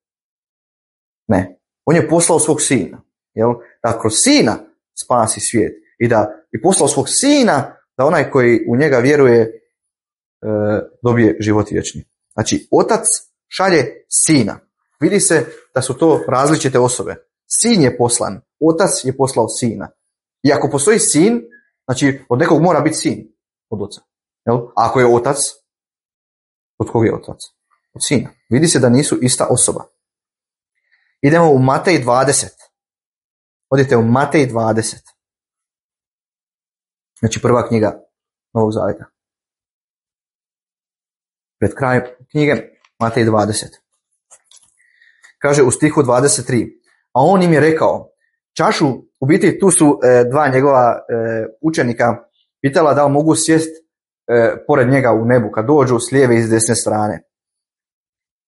Ne. On je poslao svog sina. Jel? Da kroz sina spasi svijet. I da je poslao svog sina da onaj koji u njega vjeruje e, dobije život vječni. Znači, Otac šalje sina. Vidi se da su to različite osobe. Sin je poslan. Otac je poslao sina. I ako postoji sin, znači od nekog mora biti sin. Od oca. Jel? A ako je otac, od kog je otac? Od sina. Vidi se da nisu ista osoba. Idemo u Matej dvadeset. Odite u Matej dvadeset. Znači prva knjiga Novog Zavjeta. Pred kraj knjige Matej dvadeset. Kaže u stihu dvadeset tri. A on im je rekao, čašu, u biti tu su e, dva njegova e, učenika pitala da li mogu sjest e, pored njega u nebu kad dođu s lijeve i s desne strane.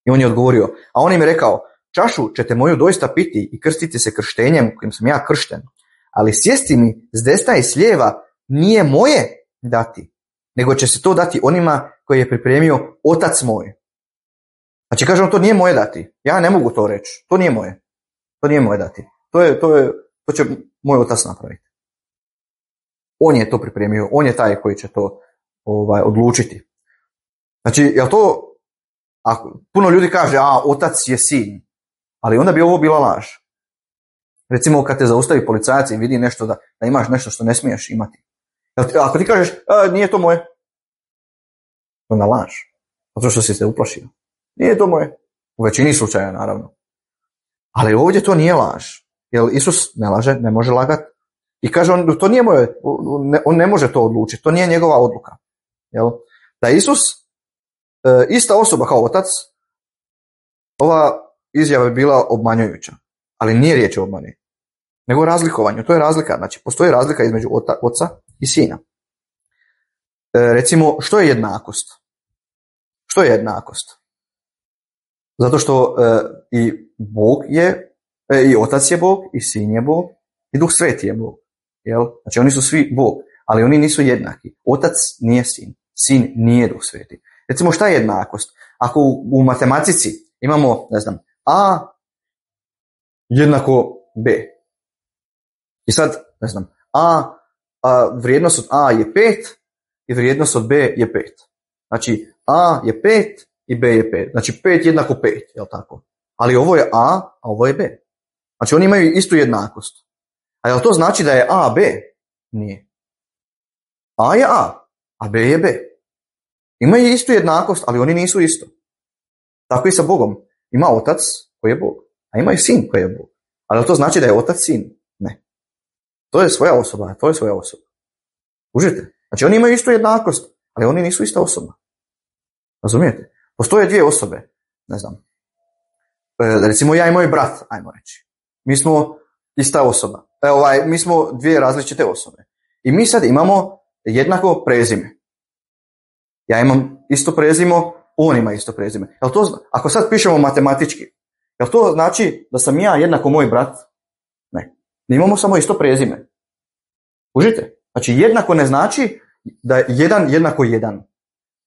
I on je odgovorio, a on im je rekao, čašu ćete moju doista piti i krstiti se krštenjem kojim sam ja kršten, ali sjesti mi s desna i s lijeva nije moje dati, nego će se to dati onima koji je pripremio Otac moj. Znači kažem, to nije moje dati. Ja ne mogu to reći. To nije moje. To nije moje dati. To, je, to, je, to će moj Otac napraviti. On je to pripremio. On je taj koji će to ovaj, odlučiti. Znači, jel to, ako puno ljudi kaže, a Otac je sin, ali onda bi ovo bila laž. Recimo kad te zaustavi policajac i vidi nešto da, da imaš nešto što ne smiješ imati. Ako ti kažeš, a, nije to moje, onda laž. Zato što si se uplašio. Nije to moje. U većini slučaja, naravno. Ali ovdje to nije laž. Jer Isus ne laže, ne može lagati. I kaže on, to nije moje, on ne može to odlučiti. To nije njegova odluka. Jel? Da je Isus e, ista osoba kao Otac, ova izjava je bila obmanjujuća. Ali nije riječ o obmani, nego o razlikovanju. To je razlika. Znači, postoji razlika između ota, Oca i Sina. E, recimo, što je jednakost? Što je jednakost? Zato što e, i Bog je, e, i Otac je Bog, i Sin je Bog, i Duh Sveti je Bog. Jel? Znači oni su svi Bog, ali oni nisu jednaki. Otac nije Sin, Sin nije Duh Sveti. Recimo šta je jednakost? Ako u, u matematici imamo, ne znam, A jednako B. I sad, ne znam, A, a vrijednost od A je pet i vrijednost od B je pet. Znači A je pet i B je pet. Znači pet jednako pet, jel tako? Ali ovo je A, a ovo je B. Znači oni imaju istu jednakost. A jel to znači da je A B? Nije. A je A, a B je B. Imaju istu jednakost, ali oni nisu isto. Tako i sa Bogom. Ima Otac koji je Bog, a ima i Sin koji je Bog. Ali jel to znači da je Otac Sin? Ne. To je svoja osoba, to je svoja osoba. Užite. Znači oni imaju istu jednakost, ali oni nisu ista osoba. Razumijete? Postoje dvije osobe, ne znam. E, recimo ja i moj brat, ajmo reći. Mi smo ista osoba. E, ovaj, mi smo dvije različite osobe. I mi sad imamo jednako prezime. Ja imam isto prezimo, on ima isto prezime. Jel to, ako sad pišemo matematički, jel to znači da sam ja jednako moj brat? Ne. Ne imamo samo isto prezime. Užite? Znači jednako ne znači da je jedan jednako jedan.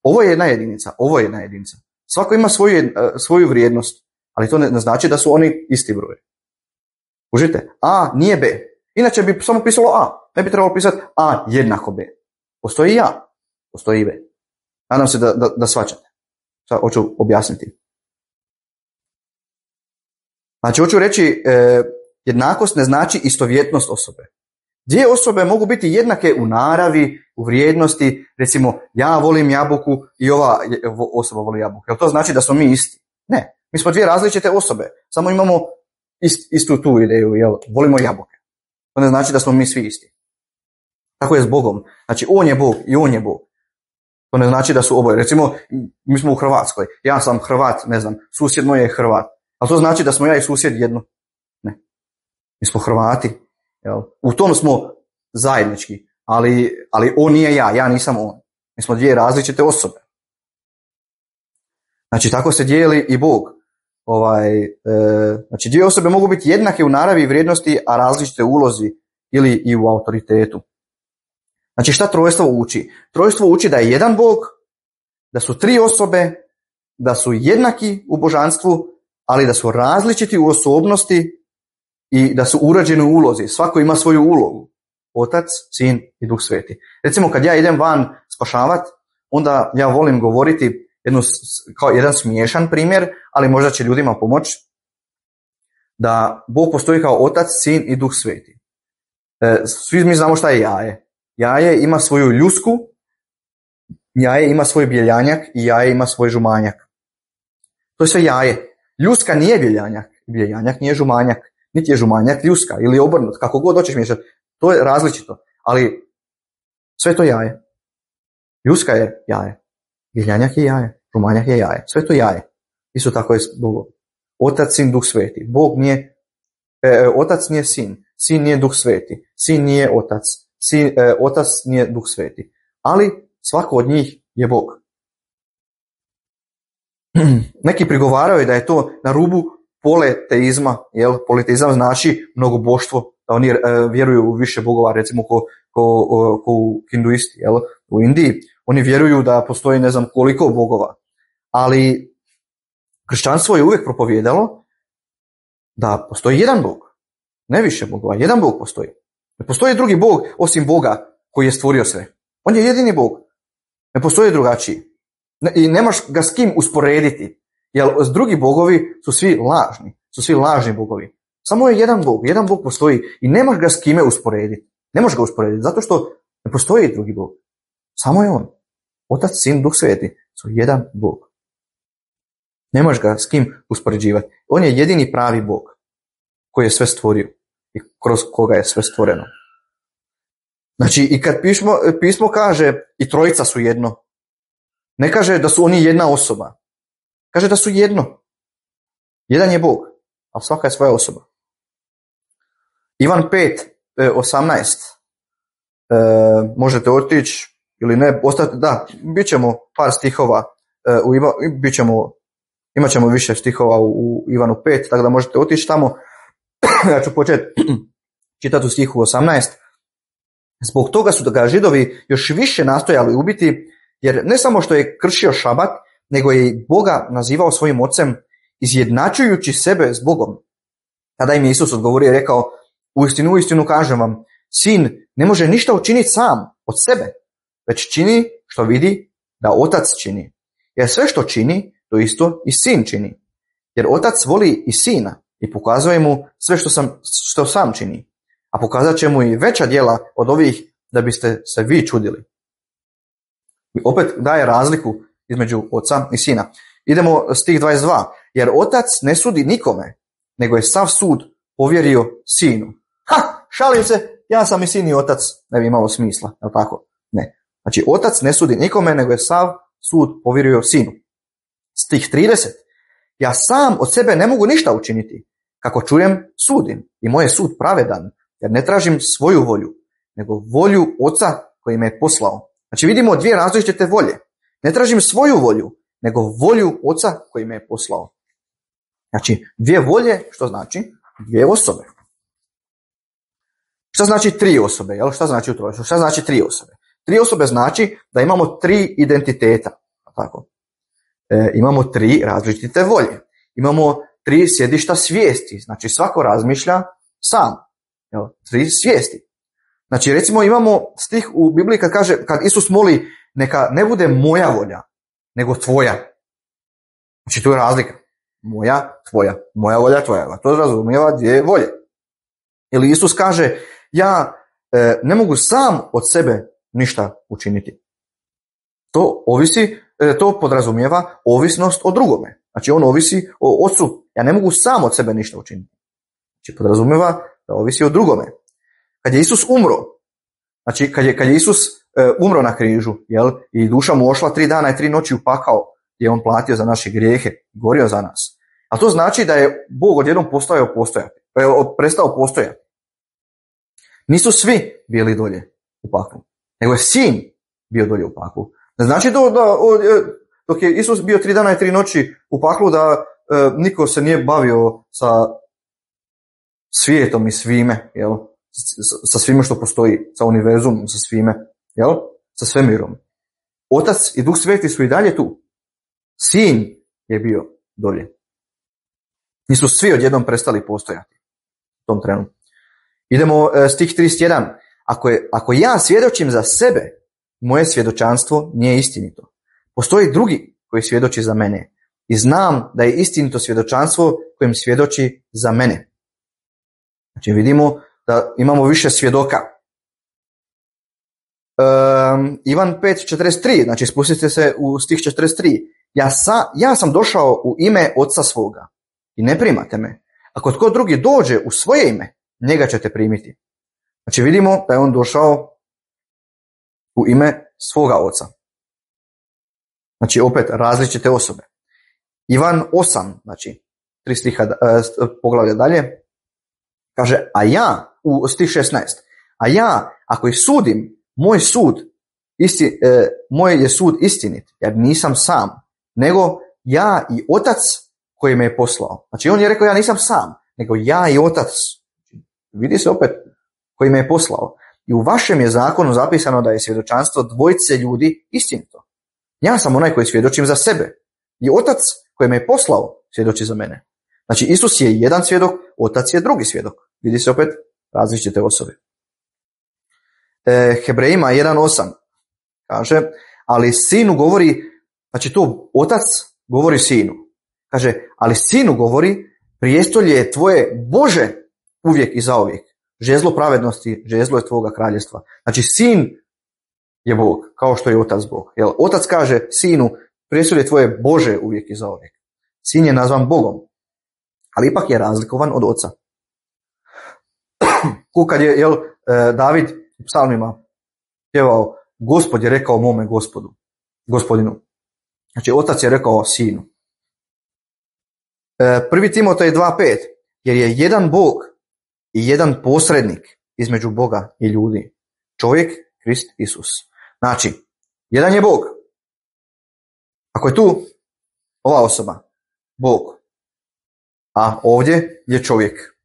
Ovo je jedna jedinica, ovo je jedna jedinica. Svako ima svoju, svoju vrijednost, ali to ne znači da su oni isti broj. Užite? A nije B. Inače bi samo pisalo A. Ne bi trebalo pisati A jednako B. Postoji i A, postoji i B. Nadam se da, da, da shvaćate. Sad hoću objasniti. Znači hoću reći, e, jednakost ne znači istovjetnost osobe. Dvije osobe mogu biti jednake u naravi, u vrijednosti, recimo ja volim jabuku i ova osoba voli jabuku. Jel to znači da smo mi isti? Ne, mi smo dvije različite osobe, samo imamo ist, istu tu ideju, jel, volimo jabuke. To ne znači da smo mi svi isti. Tako je s Bogom. Znači on je Bog i on je Bog. To ne znači da su oboje. Recimo, mi smo u Hrvatskoj, ja sam Hrvat, ne znam, susjed moj je Hrvat. Ali to znači da smo ja i susjed jedno? Ne. Mi smo Hrvati. Jel? U tom smo zajednički, ali, ali on nije ja, ja nisam on. Mi smo dvije različite osobe. Znači tako se dijeli i Bog. Ovaj, e, znači dvije osobe mogu biti jednake u naravi i vrijednosti, a različite u ulozi ili i u autoritetu. Znači šta trojstvo uči? Trojstvo uči da je jedan Bog, da su tri osobe, da su jednaki u božanstvu, ali da su različiti u osobnosti i da su urađeni u ulozi. Svako ima svoju ulogu. Otac, Sin i Duh Sveti. Recimo kad ja idem van spašavat, onda ja volim govoriti jednu, kao jedan smiješan primjer, ali možda će ljudima pomoći, da Bog postoji kao Otac, Sin i Duh Sveti. E, svi mi znamo šta je jaje. Jaje ima svoju ljusku, jaje ima svoj bjeljanjak i jaje ima svoj žumanjak. To je sve jaje. Ljuska nije bjeljanjak, bjeljanjak nije žumanjak, niti je žumanjak ljuska ili obrnut, kako god hoćeš miješati. To je različito, ali sve to jaje. Ljuska je jaje, bjeljanjak je jaje, žumanjak je jaje, sve to jaje. Isto tako je s Bogom. Otac, Sin, Duh Sveti. Bog nije, e, Otac nije Sin, Sin nije Duh Sveti, Sin nije Otac, Sin, e, Otac nije Duh Sveti. Ali svako od njih je Bog. Neki prigovaraju da je to na rubu poleteizma, jel? Poleteizam znači mnogoboštvo, da oni e, vjeruju u više bogova, recimo ko, ko, ko, ko hinduisti, jel? U Indiji. Oni vjeruju da postoji ne znam koliko bogova, ali kršćanstvo je uvijek propovijedalo da postoji jedan Bog, ne više bogova, jedan Bog postoji. Ne postoji drugi Bog osim Boga koji je stvorio sve. On je jedini Bog, ne postoji drugačiji. I nemaš ga s kim usporediti, jer drugi bogovi su svi lažni, su svi lažni bogovi. Samo je jedan Bog, jedan Bog postoji i nemaš ga s kime usporediti. Ne možeš ga usporediti, zato što ne postoji drugi Bog. Samo je on. Otac, Sin, Duh Sveti su jedan Bog. Ne možeš ga s kim uspoređivati. On je jedini pravi Bog koji je sve stvorio i kroz koga je sve stvoreno. Znači, i kad pismo, pismo kaže i trojica su jedno, ne kaže da su oni jedna osoba. Kaže da su jedno. Jedan je Bog, ali svaka je svoja osoba. Ivan pet, osamnaest. E, možete otići ili ne, ostati, da, bit ćemo par stihova, e, u Iva, bit ćemo, imat ćemo više stihova u, u Ivanu pet, tako da možete otići tamo. Ja ću početi čitati u stihu osamnaest. Zbog toga su ga Židovi još više nastojali ubiti, jer ne samo što je kršio šabat, nego je i Boga nazivao svojim ocem, izjednačujući sebe s Bogom. Tada im je Isus odgovorio i rekao, uistinu, uistinu kažem vam, sin ne može ništa učiniti sam od sebe, već čini što vidi da otac čini. Jer sve što čini, to isto i sin čini. Jer otac voli i sina i pokazuje mu sve što, sam, što sam čini. A pokazat će mu i veća djela od ovih da biste se vi čudili. I opet daje razliku između oca i sina. Idemo stih dvadeset dva. Jer otac ne sudi nikome, nego je sav sud povjerio sinu. Ha, šalim se, ja sam i sin i otac, ne bi imalo smisla, je li tako? Ne. Znači, otac ne sudi nikome, nego je sav sud povjerio sinu. Stih trideset. Ja sam od sebe ne mogu ništa učiniti. Kako čujem, sudim. I moj je sud pravedan, jer ne tražim svoju volju, nego volju Oca koji me je poslao. Znači vidimo dvije različite volje. Ne tražim svoju volju, nego volju Oca koji me je poslao. Znači dvije volje, što znači? Dvije osobe. Šta znači tri osobe? Jel? Šta znači utrojištvo? Šta znači tri osobe? Tri osobe znači da imamo tri identiteta. Tako. E, imamo tri različite volje. Imamo tri sjedišta svijesti. Znači svako razmišlja sam. Jel? Tri svijesti. Znači recimo imamo stih u Bibliji kad kaže, kad Isus moli, neka ne bude moja volja, nego tvoja. Znači tu je razlika. Moja, tvoja. Moja volja, tvoja. To razumijeva dvije volje. Ili Isus kaže, ja e, ne mogu sam od sebe ništa učiniti. To ovisi, e, to podrazumijeva ovisnost o drugome. Znači on ovisi o Ocu. Ja ne mogu sam od sebe ništa učiniti. Znači podrazumijeva da ovisi o drugome. Kad je Isus umro, znači kad je, kad je Isus e, umro na križu, jel, i duša mu ošla tri dana i tri noći u pakao, gdje je on platio za naše grijehe, gorio za nas. A to znači da je Bog odjednom postao postojati, e, prestao postojati. Nisu svi bili dolje u paklu, nego je sin bio dolje u paklu. Ne znači da, da dok je Isus bio tri dana i tri noći u paklu da e, niko se nije bavio sa svijetom i svime, jel? Sa svime što postoji, sa univerzumom, sa svime, jel? Sa svemirom. Otac i Duh Sveti su i dalje tu. Sin je bio dolje. Nisu svi odjednom prestali postojati u tom trenu. Idemo e, stih trideset jedan. Ako, je, ako ja svjedočim za sebe, moje svjedočanstvo nije istinito. Postoji drugi koji svjedoči za mene i znam da je istinito svjedočanstvo kojim svjedoči za mene. Znači vidimo da imamo više svjedoka. Um, Ivan pet četrdeset tri, znači spustite se u stih četrdeset tri. Ja, sa, ja sam došao u ime Oca svoga i ne primate me. Ako tko drugi dođe u svoje ime, njega ćete primiti. Znači vidimo da je on došao u ime svoga Oca. Znači opet različite osobe. Ivan osam, znači tri stiha poglavlja dalje, kaže, a ja, u stih šesnaest, a ja, ako ih sudim, moj sud, isti, e, moj je sud istinit, jer nisam sam, nego ja i Otac koji me je poslao. Znači on je rekao, ja nisam sam, nego ja i Otac. Vidi se opet, koji me je poslao. I u vašem je zakonu zapisano da je svjedočanstvo dvojice ljudi istinito. Ja sam onaj koji svjedočim za sebe. I Otac koji me je poslao svjedoči za mene. Znači Isus je jedan svjedok, Otac je drugi svjedok. Vidi se opet različite osobe. E, Hebrejima jedan osam kaže, ali sinu govori, znači tu Otac govori sinu. Kaže, ali sinu govori, prijestolje je tvoje Bože uvijek i zauvijek. Žezlo pravednosti, žezlo je tvoga kraljevstva. Znači sin je Bog, kao što je Otac Bog. Jel, Otac kaže sinu, prijestolje tvoje Bože uvijek i zauvijek. Sin je nazvan Bogom, ali ipak je razlikovan od Oca. Kad je jel, David u psalmima pjevao, Gospod je rekao mome gospodu, gospodinu. Znači Otac je rekao sinu. Prvi Timotej dva pet, jer je jedan Bog i jedan posrednik između Boga i ljudi. Čovjek, Krist Isus. Znači, jedan je Bog. Ako je tu ova osoba, Bog, a ovdje je čovjek.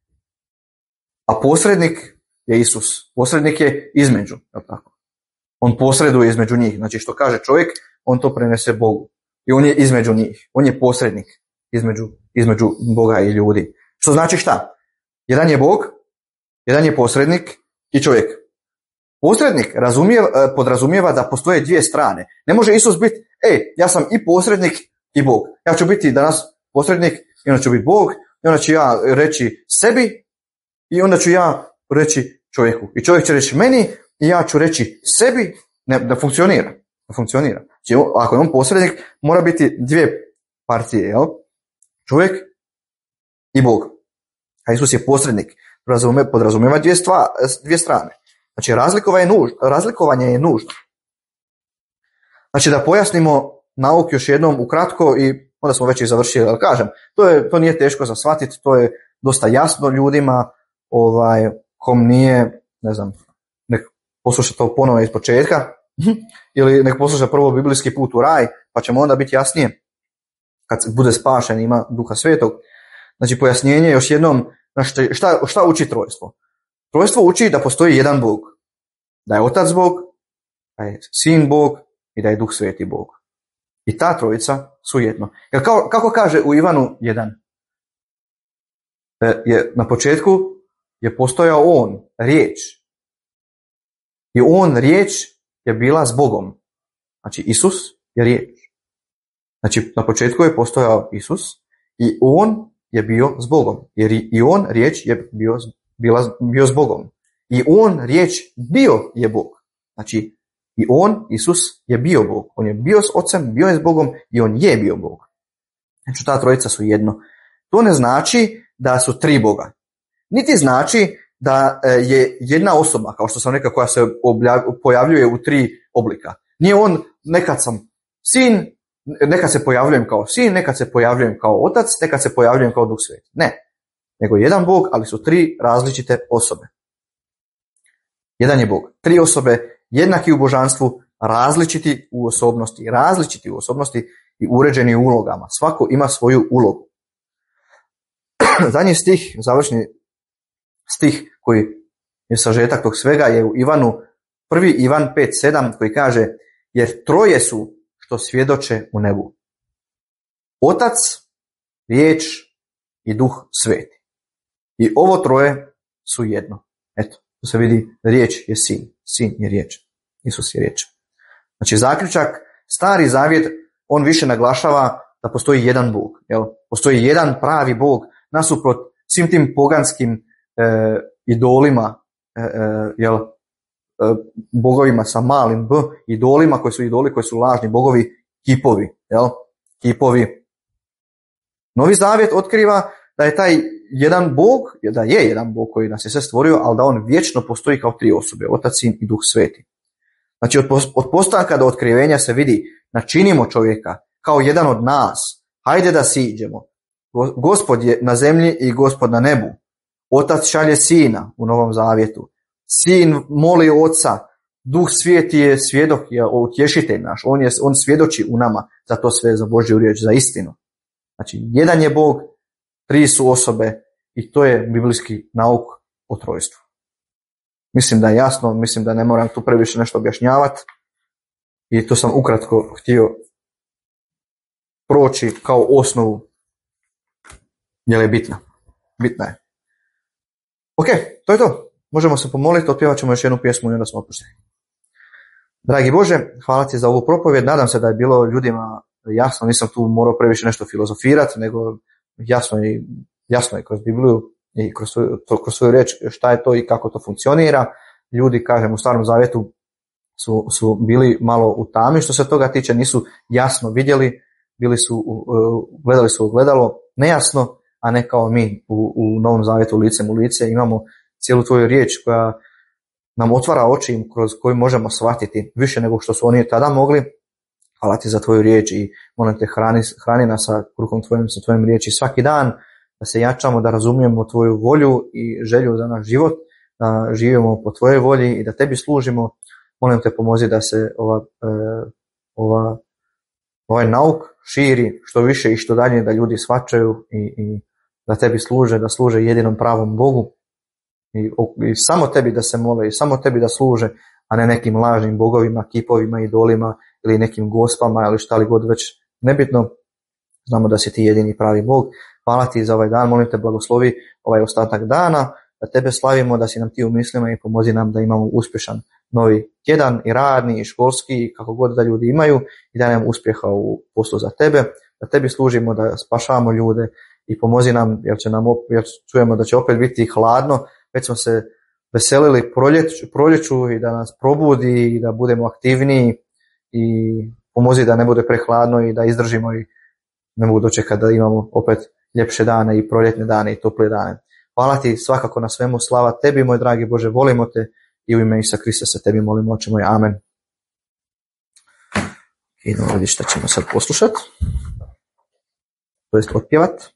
A posrednik je Isus. Posrednik je između. Tako. On posreduje između njih. Znači što kaže čovjek, on to prenese Bogu. I on je između njih. On je posrednik između, između Boga i ljudi. Što znači šta? Jedan je Bog, jedan je posrednik i čovjek. Posrednik razumijeva, podrazumijeva da postoje dvije strane. Ne može Isus biti, ej, ja sam i posrednik i Bog. Ja ću biti danas posrednik i onda ću biti Bog i onda ću ja reći sebi i onda ću ja reći čovjeku. I čovjek će reći meni i ja ću reći sebi. Ne, da funkcionira. Da funkcionira. Znači, ako je on posrednik, mora biti dvije partije, jel? Čovjek i Bog. A Isus je posrednik. Podrazumijeva dvije, stva, dvije strane. Znači razlikovanje je nužno. Razlikovanje je nužno. Znači da pojasnimo nauk još jednom ukratko i onda smo već i završili, ali kažem, to, je, to nije teško za shvatiti, to je dosta jasno ljudima, ovaj, kom nije, ne znam, nek posluša to ponovno iz početka, ili nek posluša prvo biblijski put u raj, pa ćemo onda biti jasnije, kad bude spašen, ima Duha Svetog. Znači, pojašnjenje još jednom, šta, šta uči trojstvo? Trojstvo uči da postoji jedan Bog, da je Otac Bog, da je Sin Bog i da je Duh Sveti Bog. I ta trojica su jedno. Jer kao, kako kaže u Ivanu jedan, je, na početku je postojao on, riječ. I on, riječ, je bila s Bogom. Znači, Isus je riječ. Znači, na početku je postojao Isus i on je bio s Bogom. Jer i on, riječ, je bio, bila, bio s Bogom. I on, riječ, bio je Bog. Znači, i on, Isus, je bio Bog. On je bio s Ocem, bio je s Bogom i on je bio Bog. Znači, ta trojica su jedno. To ne znači da su tri Boga. Niti znači da je jedna osoba, kao što sam rekao, koja se pojavljuje u tri oblika. Nije on, nekad sam sin, nekad se pojavljujem kao sin, nekad se pojavljujem kao otac, nekad se pojavljujem kao Duh Sveti. Ne. Nego jedan Bog, ali su tri različite osobe. Jedan je Bog. Tri osobe, jednaki u božanstvu, različiti u osobnosti, različiti u osobnosti i uređeni u ulogama. Svako ima svoju ulogu. Zadnji stih, završni stih koji je sažetak tog svega je u Ivanu, prvi Ivan pet sedam koji kaže, jer troje su što svjedoče u nebu. Otac, riječ i Duh Sveti. I ovo troje su jedno. Eto, to se vidi, riječ je sin, sin je riječ, Isus je riječ. Znači zaključak, Stari Zavjet, on više naglašava da postoji jedan Bog. Jel? Postoji jedan pravi Bog, nasuprot svim tim poganskim e, idolima, e, e, jel, e, bogovima sa malim b, idolima koji su idoli, koji su lažni bogovi, kipovi. Jel? Kipovi. Novi Zavjet otkriva da je taj jedan Bog, da je jedan Bog koji nas je sve stvorio, ali da on vječno postoji kao tri osobe, Otac, Sin i Duh Sveti. Znači od, od postanka do otkrivenja se vidi, načinimo čovjeka kao jedan od nas, hajde da siđemo. Gospod je na zemlji i Gospod na nebu. Otac šalje Sina u Novom Zavjetu. Sin moli Oca. Duh Sveti je svjedok, je utješitelj naš. On, je, on svjedoči u nama za to sve, za Božju riječ, za istinu. Znači, jedan je Bog, tri su osobe i to je biblijski nauk o trojstvu. Mislim da je jasno, mislim da ne moram tu previše nešto objašnjavati i to sam ukratko htio proći kao osnovu, jer je bitna. Bitna je. Ok, to je to. Možemo se pomoliti, otpjevat ćemo još jednu pjesmu i onda smo opušteni. Dragi Bože, hvala ti za ovu propovjed. Nadam se da je bilo ljudima jasno, nisam tu morao previše nešto filozofirati, nego jasno je, jasno je kroz Bibliju i kroz svoju, to, kroz svoju riječ šta je to i kako to funkcionira. Ljudi, kažem, u Starom Zavjetu su, su bili malo u tami što se toga tiče, nisu jasno vidjeli, bili su, gledali su ogledalo nejasno, a ne kao mi u, u Novom Zavjetu licem u lice. Imamo cijelu tvoju riječ koja nam otvara oči kroz koju možemo shvatiti više nego što su oni tada mogli. Hvala ti za tvoju riječ i molim te hrani, hrani nas sa kruhom tvojim, sa tvojim riječi svaki dan, da se jačamo, da razumijemo tvoju volju i želju za naš život, da živimo po tvojoj volji i da tebi služimo. Molim te pomozi da se ova, ova, ovaj nauk širi što više i što dalje, da ljudi shvaćaju i, i da tebi služe, da služe jedinom pravom Bogu i, i samo tebi da se mole i samo tebi da služe, a ne nekim lažnim bogovima, kipovima, idolima ili nekim gospama ili šta li god već, nebitno. Znamo da si ti jedini pravi Bog. Hvala ti za ovaj dan, molim te blagoslovi ovaj ostatak dana, da tebe slavimo, da si nam ti u mislima i pomozi nam da imamo uspješan novi tjedan i radni i školski i kako god da ljudi imaju i da nam uspjeha u poslu za tebe, da tebi služimo, da spašavamo ljude i pomozi nam, jer, će nam, jer čujemo da će opet biti hladno, već smo se veselili proljeću, proljeću i da nas probudi i da budemo aktivniji i pomozi da ne bude prehladno i da izdržimo i ne mogu dočekati da imamo opet ljepše dane i proljetne dane i tople dane. Hvala ti svakako na svemu, slava tebi moj dragi Bože, volimo te i u ime Isusa Krista se tebi molimo, oče moj, amen. Idemo vidjeti šta ćemo sad poslušati. to jest otpjevat,